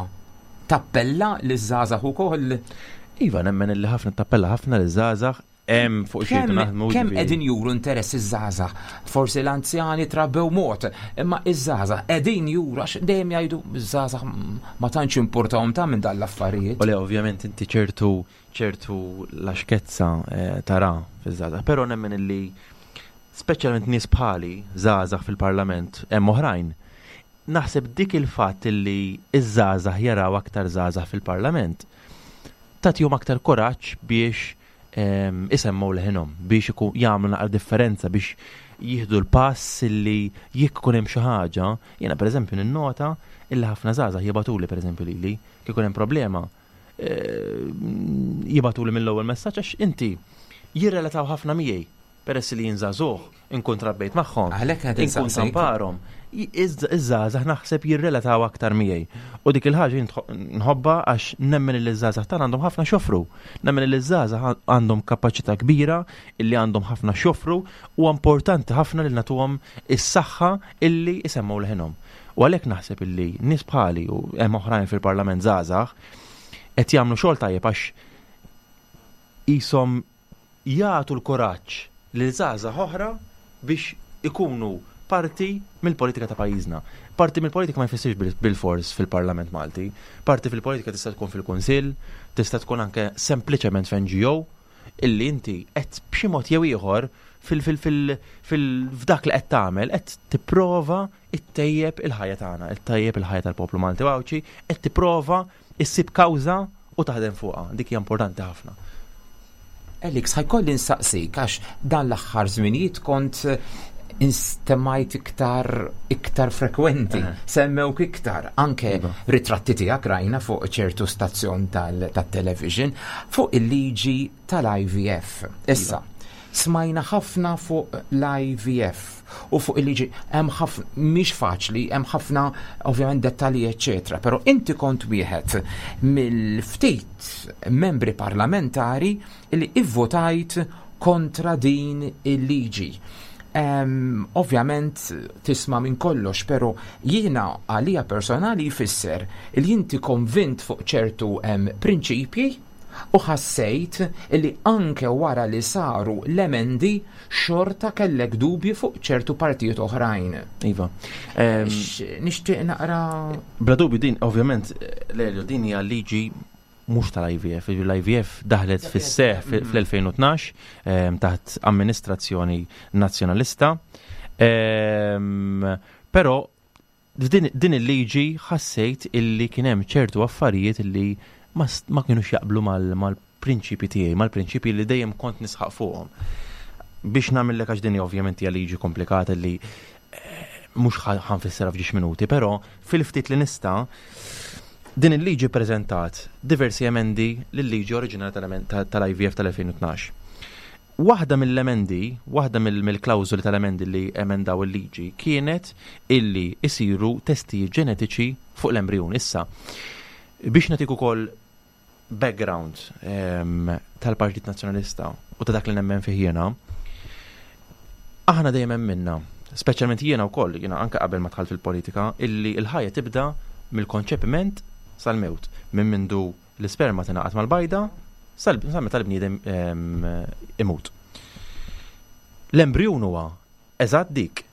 tappella liż-żgħażagħ ukoll. Iva, nemmen li ħafna tappella ħafna li żgħażagħ hemm fuq xi Kemm naħdmu. kemm ġifieri. qegħdin juru interess iż-żgħażagħ? Forsi l-anzjani trabbew mod, imma iż-żgħażagħ qegħdin juru għax dejjem jgħidu iż-żgħażagħ ma tantx importahom ta' minn dan l-affarijiet. U le, ovvjament inti ċertu ċertu laxkezza eh, tara fiż-żgħażagħ, però nemmen illi speċjalment nies bħali żgħażagħ fil-Parlament hemm oħrajn. Naħseb dik il-fatt illi iż-żgħażagħ jaraw aktar żgħażagħ fil-Parlament tagħtihom aktar kuraġġ biex em, isemmu leħinhom, biex ikun jagħmlu naqra differenza biex jieħdu l-pass illi jekk ikun hemm xi ħaġa, jiena pereżempju ninnota illi ħafna żgħażagħ jibagħtuli pereżempju lili kif ikun hemm problema eh, jibagħtuli mill-ewwel messaġġ għax inti jirrelataw ħafna miegħi peress li jien żagħżugħ inkun trabbejt magħhom. Għalhekk qed Inkun insaqsik. tamparhom. Iż-żgħażagħ naħseb jirrelataw aktar miegħi. U dik il-ħaġa jien tħo- nħobbha għax nemmen li ż-żgħażagħ tagħna għandhom ħafna x'joffru. Nemmen li ż-żgħażagħ għandhom kapaċità kbira illi għandhom ħafna x'joffru u importanti ħafna li nagħtuhom is-saħħa illi isemmaw leħinhom. U għalhekk naħseb illi nies bħali u hemm oħrajn fil-Parlament żgħażagħ qed jagħmlu xogħol tajjeb għax qishom jagħtu l-kuraġġ lil żgħażagħ oħra biex ikunu parti mill-politika ta' pajjiżna. Parti mill-politika ma jfissirx bil- bil-fors fil-Parlament Malti. Parti fil-politika tista' tkun fil-Kunsill, tista' tkun anke sempliċement f'N G O illi inti qed b'xi mod jew ieħor fil fil fil fil f'dak li qed tagħmel qed tipprova ttejjeb il-ħajja tagħna, ittejjeb il-ħajja tal-poplu Malti u Għawdxi, qed tipprova issib kawża u taħdem fuqha. Dik hija importanti ħafna. Alex, ħa jkolli nsaqsik għax dan l-aħħar żminijiet kont eh, instemmajt iktar iktar frekwenti, Aha. semmewk iktar, anke Iva. ritratti tiegħek rajna fuq ċertu stazzjon tal-television fuq il-liġi tal-I V F. Issa, Smajna ħafna fuq l-I V F u fuq il-liġi, hemm ħafna, mhix faċli, hemm ħafna ovvjament dettalji, eċetera, però inti kont wieħed mill-ftit membri parlamentari li ivvotajt kontra din il-liġi. Um, ovvjament tisma' minn kollox, pero jiena għalija personali jfisser li inti konvint fuq ċertu um, prinċipji u ħassejt li anke wara li saru l-emendi xorta kellek dubji fuq ċertu partijiet oħrajn. Iva. Nixtieq naqra. Bla dubju din, ovvjament, Lelio, din hija liġi mhux tal-I V F. L-I V F daħlet fis-seħ fl-elfejn u tnax taħt amministrazzjoni nazzjonalista. Però din il-liġi ħassejt illi kien hemm ċertu affarijiet illi ma, ma kienux jaqblu mal-prinċipi tiegħi, mal-prinċipi li dejjem kont nisħaq fuqhom. Biex nagħmellek, għax din ovvjament hija liġi komplikata li eh, mhux ħa nfissirha f'ġiex minuti, però fil-ftit li nista', din il-liġi preżentat diversi emendi lill-liġi oriġinali tal-I V F tal-elfejn u tnax. Waħda mill-emendi, waħda mill-klawżoli tal-emendi li emendaw il-liġi kienet illi isiru testi ġenetiċi fuq l-embrjon. Issa, biex nagħtik ukoll background um, tal-Partit Nazzjonalista u ta' dak li nemmen fih jiena, aħna dejjem minna, speċjalment jiena wkoll, jiena anke qabel ma dħalt fil-politika, illi l-ħajja tibda mill-konċepiment sal-mewt, minn mindu l-isperma tingħaqad mal-bajda sal meta l-bniedem imut. L-embrjon huwa eżatt dik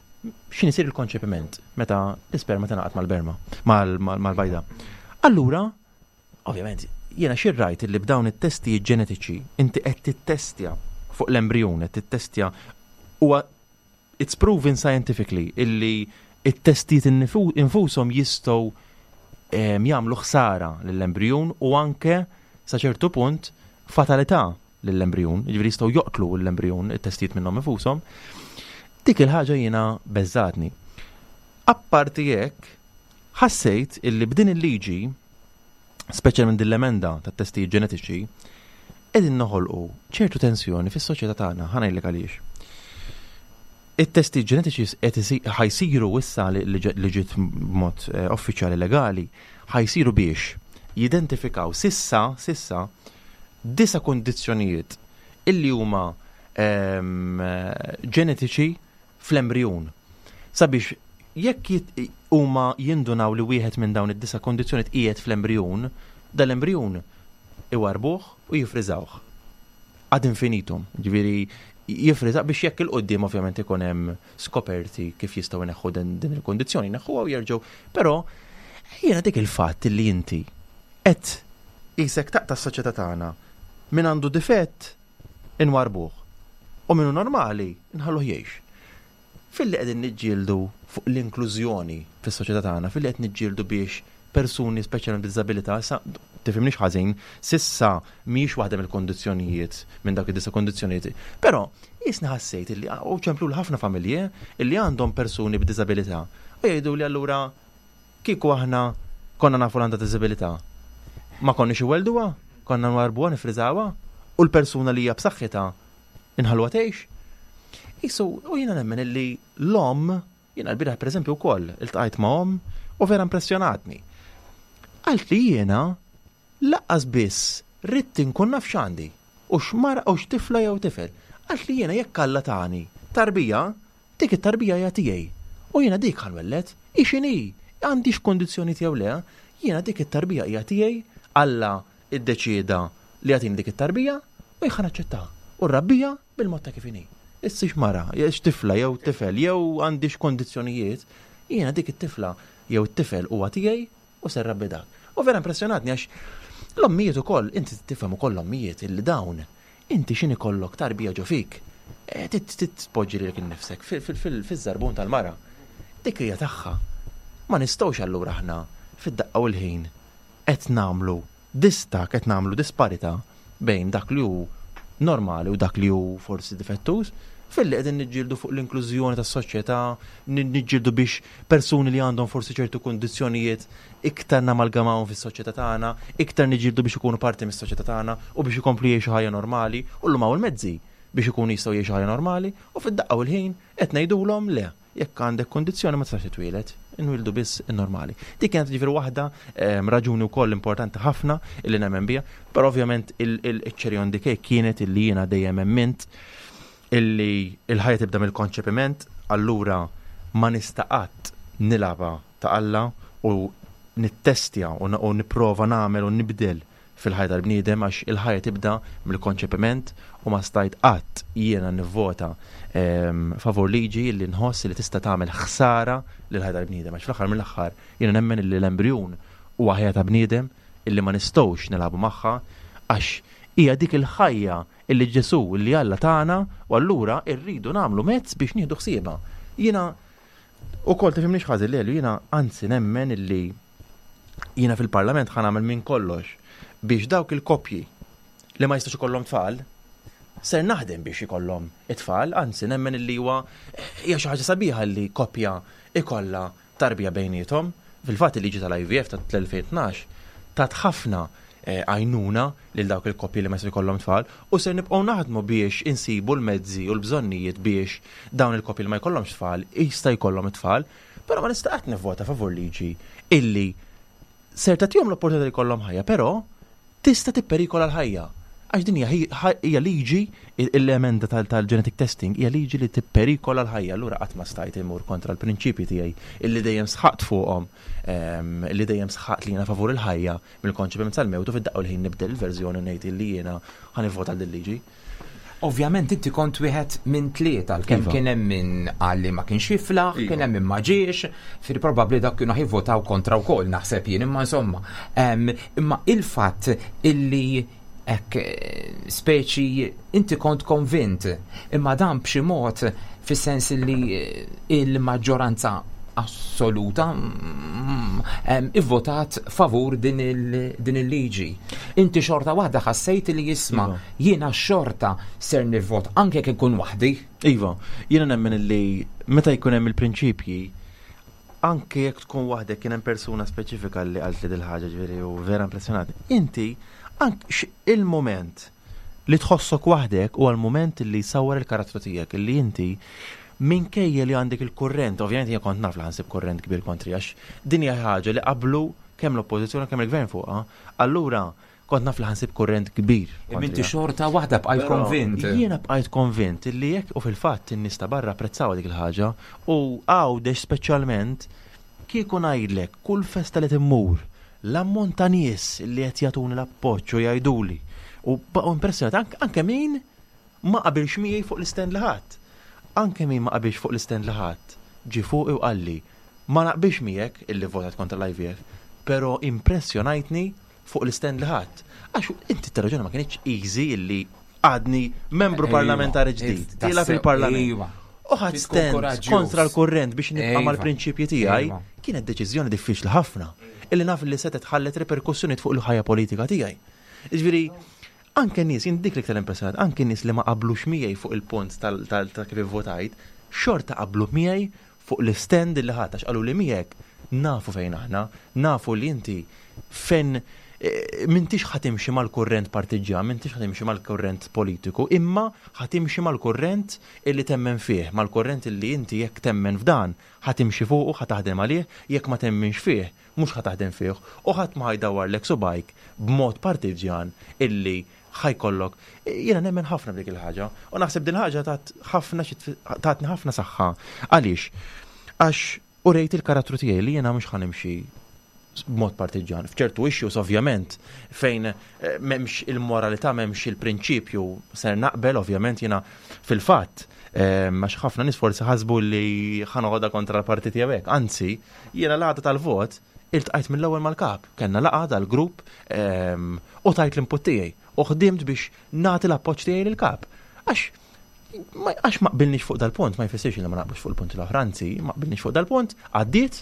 x'in isir il-konċepiment meta l-isperma tingħaqad mal-berma mal-bajda. Allura, ovvjament, jiena xirrajt li b'dawn it-testi ġenetiċi inti qed tittestja fuq l-embrjon, qed tittestja, huwa it's proven scientifically illi it-testijiet infushom jistgħu jagħmlu ħsara lill-embrjon u anke sa ċertu punt fatalità lill-embrjon, jiġifieri jistgħu joqtlu l-embrjon it-testijiet minnhom infushom. Dik il-ħaġa jiena beżżgħetni. Apparti hekk, ħassejt illi b'din il-liġi, speċjalment din l-emenda tat-testijiet ġenetiċi, qegħdin noħolqu ċertu tensjoni fis-soċjetà tagħna, ħa ngħidlek għaliex. It-testi ġenetiċi qed ħa jsiru issa li ġiet b'mod eh, uffiċjali legali, ħa jsiru biex jidentifikaw sissa, sissa, disa' kondizzjonijiet illi huma ehm, ġenetiċi fl-embrjon. Sabiex jekk huma jindunaw li wieħed minn dawn id-disa' kondizzjonijiet qiegħed fl-embrjon, dal-embrjon iwarbuh u jifriżawh. Ad infinitum, ġifieri jifriża biex jekk 'il quddiem ovvjament ikun hemm skoperti kif jistgħu jneħħu din, din il-kondizzjoni, neħħuha u jerġgħu. Però jiena dik il-fatt li inti qed qisek taqta' s-soċjetà tagħna, min għandu difett inwarbuh u minnu normali nħalluh jgħix. Filli qegħdin niġġieldu fuq l-inklużjoni fis-soċjetà tagħna, filli qed niġġieldu biex persuni speċjalment b'diżabilità, issa tifhimniex ħażin, s'issa mhijiex waħda mill-kondizzjonijiet minn dak id-disa' kondizzjonijiet. Però jisni ħassejt illi u ċemplu ħafna familji illi għandhom persuni b'diżabilità u jgħidu li allura kieku aħna konna nafu l għandha diżabilità. Ma konniex iwelduha, konna nwarbuha, nifriżawha u l-persuna li hija b'saħħitha inħalluha tgħix. Isu, u jiena nemmen illi l-om, jiena l-bieraħ per eżempju wkoll iltqajt ma' om u vera impressjonatni. Għalt li jiena lanqas biss ridt inkun naf x'għandi u x'mara u x'tifla jew tifel. Għalt li jiena jekk Alla tani tarbija, dik it-tarbija hija tiegħi. U jiena dik ħa nwelled, hi x'inhi, għandix kondizzjoni tiegħu le, jiena dik it-tarbija hija tiegħi, Alla iddeċieda li jagħtini dik it-tarbija u jien ħa naċċettaha. U nrabbija bil-mod ta' kif inhi. Issa mara, tifla jew tifel, jew għandix kondizzjonijiet, jiena dik it-tifla jew it-tifel huwa tiegħi u se nrabbi dak. U vera impressjonatni għax l-ommijiet ukoll, inti tifhem ukoll l-ommijiet illi dawn, inti x'inhi kollok tarbija ġo fik, eh, titpoġġi lilek innifsek fiż-żarbun tal-mara. Dik hija tagħha. Ma nistgħux allura aħna fid-daqqa u l-ħin qed nagħmlu distakk, qed nagħmlu disparità bejn dak li hu normali u dak li hu forsi difettuż, filli qegħdin niġġieldu fuq l-inklużjoni tas-soċjetà, niġġieldu biex persuni li għandhom forsi ċertu kundizzjonijiet iktar namalgamawhom fis-soċjetà tagħna, iktar niġġieldu biex ikunu parti mis-soċjetà tagħna u biex ikomplu jgħixu ħajja normali, u llum hawn il-mezzi biex ikunu jistgħu jgħixu ħajja normali, u fid-daqqa u l-ħin qed ngħidulhom le, jekk għandek kondizzjoni ma tistax titwieled, inwildu biss in-normali. Dik kienet ġifieri waħda ehm, raġuni wkoll importanti ħafna illi nemmen biha, però ovvjament il-cherry on the cake kienet illi jiena dejjem emmint illi il-ħajja tibda mill-konċepiment, allura ma nista' qatt nilgħabha ta' Alla u nittestja u u nipprova nagħmel u nibdel fil-ħajja tal-bniedem, għax il-ħajja tibda mill-konċepiment u ma stajt qatt jiena nivvota ehm, favur liġi li nħoss li tista' tagħmel ħsara lil ħajja tal-bniedem, għax fl-aħħar mill-aħħar jiena nemmen li l-embrjun huwa ħajja ta' bniedem illi ma nistgħux nilagħbu magħha, għax hija dik il-ħajja illi Ġesu, illi Alla tagħna, u allura rridu nagħmlu mezz biex nieħdu ħsiebha. Jiena ukoll, tifhimniex ħażin, Lelu, jiena anzi nemmen illi jiena fil-Parlament ħa nagħmel minn kollox biex dawk il-koppji li ma jistax ikollhom tfal, ser naħdem biex ikollhom it-tfal, anzi nemmen illi huwa hija xi ħaġa sabiħa li koppja ikollha tarbija bejniethom. Fil-fatt il-liġi tal-I V F tal-elfejn u tnax tat ħafna eh, għajnuna lil dawk il-koppji li ma jistax ikollhom tfal u ser nibqgħu naħdmu biex insibu l-mezzi u l-bżonnijiet biex dawn il-koppji li ma jkollhomx tfal jista' jkollhom it-tfal, però ma nista' qatt nivvota favur liġi illi ser tagħtihom l-opportunità li jkollhom ħajja, però tista' tipperikola l-ħajja. Għax din hija hija liġi, l-emenda tal-genetic testing hija liġi li tipperikola l-ħajja, allura qatt ma stajt imur kontra l-prinċipji tiegħi illi dejjem sħaqt fuqhom, ehm, illi dejjem sħaqt li jiena favur il-ħajja mill-konċepiment sal-mewt, u fid-daqqa l-ħin nibdel il-verżjoni u ngħid illi jiena ħa nivvota għal din liġi. Ovvjament inti kont wieħed minn tlieta, kemm Iva. kien hemm min qal li ma kienx jiflaħ, Iva. kien hemm min ma ġiex, fir probabbli dak kienu ħivvotaw kontra wkoll, naħseb jien, imma insomma. Em, Imma il-fatt illi hekk eh, speċi inti kont konvint, imma dan b'xi mod fis-sens li eh, il-maġġoranza assoluta mm, em, ivvotat favur din il- din il-liġi. Inti xorta waħda ħassejt li jisma' Iva. jiena xorta ser nivvot anke jekk inkun waħdi. Iva, jiena nemmen illi meta jkun hemm il-prinċipji, anke jekk tkun waħdek, kien hemm persuna speċifika li qalt li dil-ħaġa, ġifieri, u vera impressjonati. Inti anke x- il-moment li tħossok waħdek huwa l-moment li jsawwar il-karattru tiegħek, illi inti minkejja li għandek il-kurrent, ovvjament jien kont naf li ħa nsib kurrent kbir kontri, għax din hija ħaġa li qablu kemm l-oppożizzjoni kemm il-gvern fuqha, allura kont naf li ħa nsib kurrent kbir Imma inti kontrija. xorta waħda bqajt Però konvint. Jiena bqajt konvint illi jekk, u fil-fatt in-nies ta' barra apprezzaw dik il-ħaġa, u Għawdex speċjalment, kieku ngħidlek kull festa li timmur l-ammont ta' nies li qed jagħtuni l-appoġġ u jgħiduli u baqgħu impressjonati anke, anke min ma qabilx miegħi fuq l-istand li ħadd. Anke min ma qabilx fuq l-istand li ħadd ġi fuqi u qalli: "Ma naqbilx miegħek illi votat kontra l-I V F, però impressjonajtni fuq l-istand li ħadd." Għax inti t-raġuni ma kienx easy illi għadni membru Ejwa, parlamentari ġdid, ejwa, tiela fil-parlament. Ejwa. U ħadt Tkun stand koraġġjuż. kontra l-kurrent biex nibqa' Ejwa. mal-prinċipji tiegħi, Ejwa. kienet deċiżjoni diffiċli ħafna illi naf li setet ħallet reperkussjoni fuq il-ħajja politika tiegħi. Jiġifieri, anke nies, jien dik l-iktar impressjonat, anke nies li ma qablux miegħi fuq il-punt tal- tal- ta' kif votajt, xorta qablu miegħi fuq l-stand li ħadd, għax qalu li miegħek nafu fejn aħna, nafu li inti fejn eh, m'intix ħa timxi mal-kurrent partiġjan, m'intix ħa timxi mal-kurrent politiku, imma ħa timxi mal-kurrent illi temmen fih, mal-kurrent illi inti jekk temmen f'dan, ħa timxi fuq u ħa taħdem għalih, jekk ma temminx fih, mhux ħa taħdem fih, u ħadd ma ħa jdawwarlek subgħajk b'mod partiġjan illi ħa jkollok. Jiena nemmen ħafna b'dik il-ħaġa, u naħseb din il-ħaġa tat ħafna xi tatni ħafna saħħa. Għaliex? Għax urejt il-karattru tiegħi li jiena mhux ħa nimxi b'mod partiġjan. F'ċertu issues ovvjament fejn eh, m'hemmx il-moralità, m'hemmx il-prinċipju, ser naqbel ovvjament jiena fil-fatt eh, għax ħafna nies forsi ħasbu li ħa noħodha kontra l-partit tiegħek. Anzi, jiena l-għada tal-vot iltqajt mill-ewwel mal-kap. Kellna laqgħa dal-grupp ehm, u tajt l-input tiegħi u ħdimt biex nagħti l-appoġġ tiegħi lill-kap. Għax ma għax ma qbilniex fuq dal-punt, ma jfissirx li ma naqblux fuq il-punti l-oħra, anzi, ma qbilniex fuq dal-punt, għaddiet,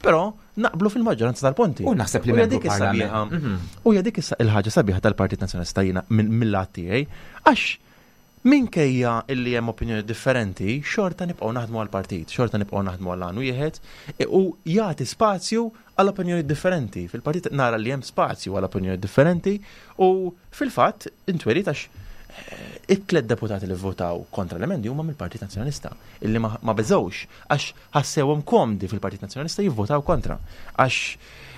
però naqblu fil-maġġoranza tal-punti. U naħseb li U hija membru dik is-sabiħa. parlament. Mhm. U hija dik issa il-ħaġa sabiħa tal-Partit Nazzjonalista jiena minn mill-lat tiegħi, għax minkejja illi hemm opinjoni differenti, xorta nibqgħu naħdmu għall-partit, xorta nibqgħu naħdmu għal għan wieħed u jagħti spazju għal opinjoni differenti. Fil-partit nara li hemm spazju għal opinjoni differenti u fil-fatt intwerit għax It-tliet deputati li votaw kontra l-emendi huma mill-Partit Nazzjonalista, illi ma beżgħux għax ħassewhom komdi fil-Partit Nazzjonalista jivvotaw kontra. Għax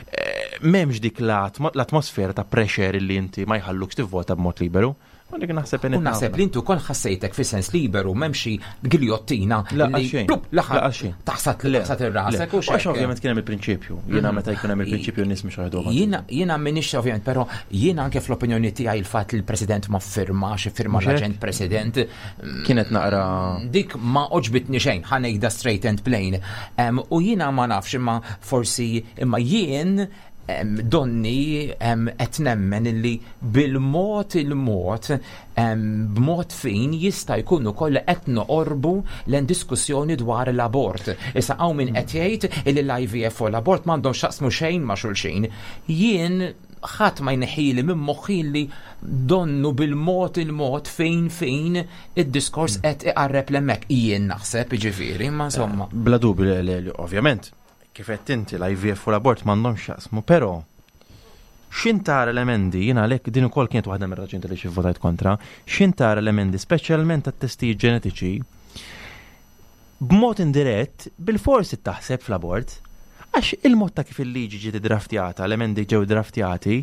eh, m'hemmx dik l-atmosfera ta' pressure illi inti ma jħallukx tivvota b'mod liberu. U dik naħseb U naħseb li intu kol ħassejtek fi sens liberu, m'hemmx giljottina li l-aħħar taħsat taħsat ir-rasek u Għax ovvjament kien hemm il-prinċipju. Jiena mhm. meta jkun hemm il-prinċipju n-nies mhux ħajdu. Jiena jiena m'iniex ovvjament, però jiena anke fl-opinjoni tiegħi il-fatt li l-President ma firmax, firma l-aġent President. Kienet naqra. Dik ma għoġbitni xejn, ħa ngħidha straight and plain. U jiena ma nafx, imma forsi imma jien donni qed nemmen illi bil-mod il-mod, b'mod fin jista' jkun ukoll qed noqorbu l diskussjoni dwar l-abort. Issa hawn min qed jgħid illi l-I V F u l-abort m'għandhom x'jaqsmu xejn ma' xulxin. Jien ħadd ma jneħħili minn moħħi li donnu bil-mod il-mod fejn fejn id-diskors qed iqarreb hemmhekk. Jien naħseb, ġifieri, ma insomma. Bla dubju, ovvjament, kif qed inti, l-I V F u l-abort m'għandhomx x'jaqsmu, però x'ħin tara l-emendi, jiena għalhekk din ukoll kienet waħda mir-raġuni li xi votajt kontra, x'ħin tara l-emendi speċjalment tat-testijiet ġenetiċi, b'mod indirett bil-forsi taħseb fl-abort, għax il-mod ta' kif il-liġi ġiet draftjata, l-emendi ġew draftjati,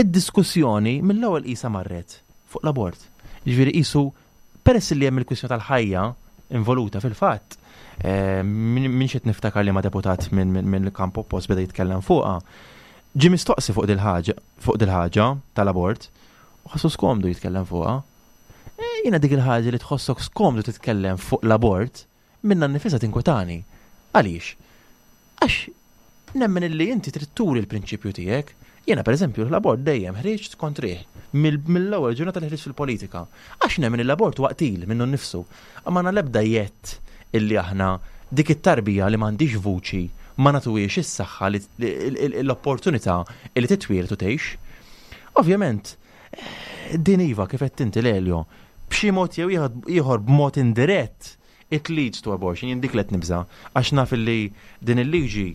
id-diskussjoni mill-ewwel qisha marret fuq l-abort. Ġifieri qisu peress li hemm il-kwistjoni tal-ħajja involuta fil-fatt, eh, min xed niftakar li ma deputat minn il-kamp oppost beda jitkellem fuqha. Ġi mistoqsi fuq dil-ħaġa, fuq dil-ħaġa tal-abort, u ħassu skomdu jitkellem fuqha. Eh, jiena dik il-ħaġa li tħossok skomdu titkellem fuq l-abort, minnha nnifisha tinkwetani. Għaliex? Għax nemmen illi inti trid turi l-prinċipju tiegħek. Jiena, pereżempju, l-abort dejjem ħriġt kontrih mill-ewwel ġurnata li ħriġt fil-politika. Għax nemmen l-abort huwa qtil minnu nnifsu. Imma l-ebda jett illi aħna dik it-tarbija li m'għandix vuċi ma nagħtuhiex is-saħħa, l-opportunità li titwieled u tgħix. Ovvjament, eh, din iva, kif qed inti, Lelio, b'xi mod jew ieħor, b'mod indirett it leads to abortion, jien dik qed nibża, għax naf li din il-liġi,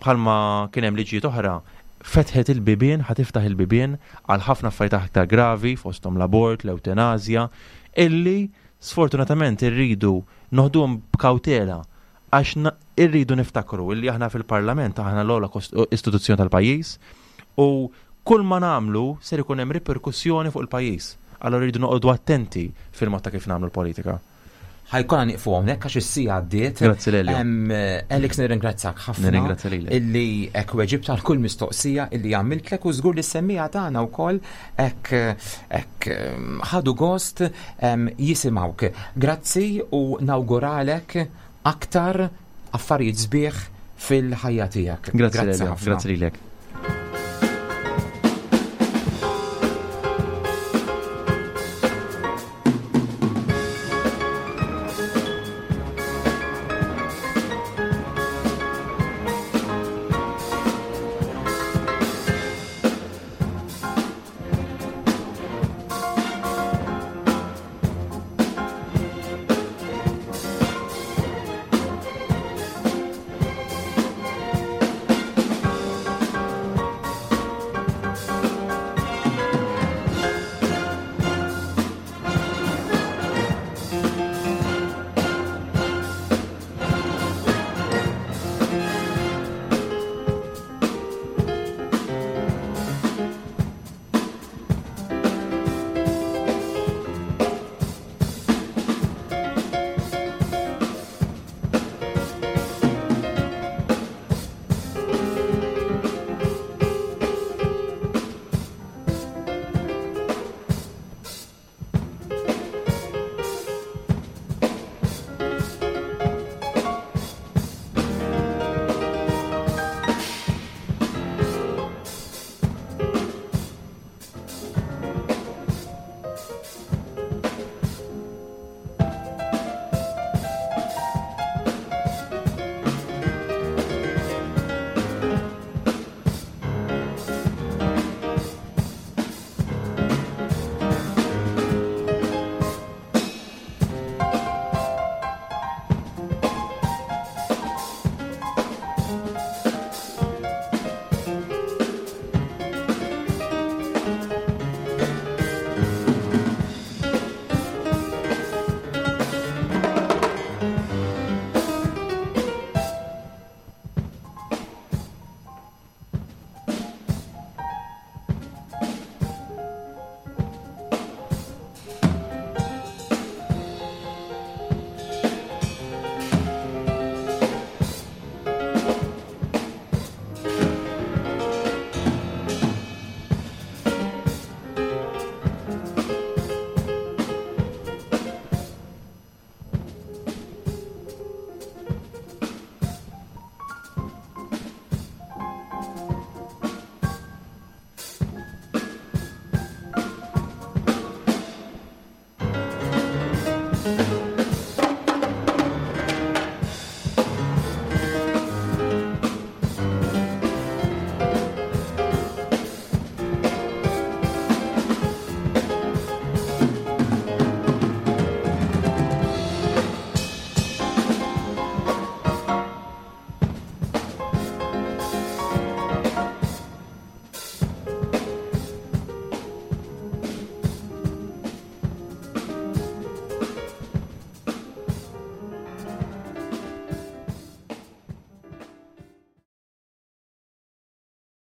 bħalma kien hemm liġijiet oħra, fetħet il-bibien, ħa tiftaħ il-bibien għal ħafna affarijiet aktar gravi, fosthom l-abort, l-eutanazja, illi sfortunatament irridu noħduhom b'kawtela, għax irridu niftakru illi aħna fil-parlament, aħna l-ogħla istituzzjoni tal-pajjiż u kull ma nagħmlu ser ikun hemm riperkussjoni fuq il-pajjiż. Allora rridu noqogħdu attenti fil-mod ta' kif nagħmlu l-politika. Ħa jkollna nieqfu hawnhekk għax is-siegħa għaddiet. Grazzi, Lelio. Alex, nirringrazzjak ħafna. Nirringrazzja lilek. Illi hekk weġibt għal kull mistoqsija illi għamiltlek u żgur li s-semmiegħa tagħna wkoll hekk hekk ħadu gost jisimgħuk. Grazzi u nawguralek aktar affarijiet sbieħ fil-ħajja tiegħek. Grazzi, Lelio. Grazzi lilek.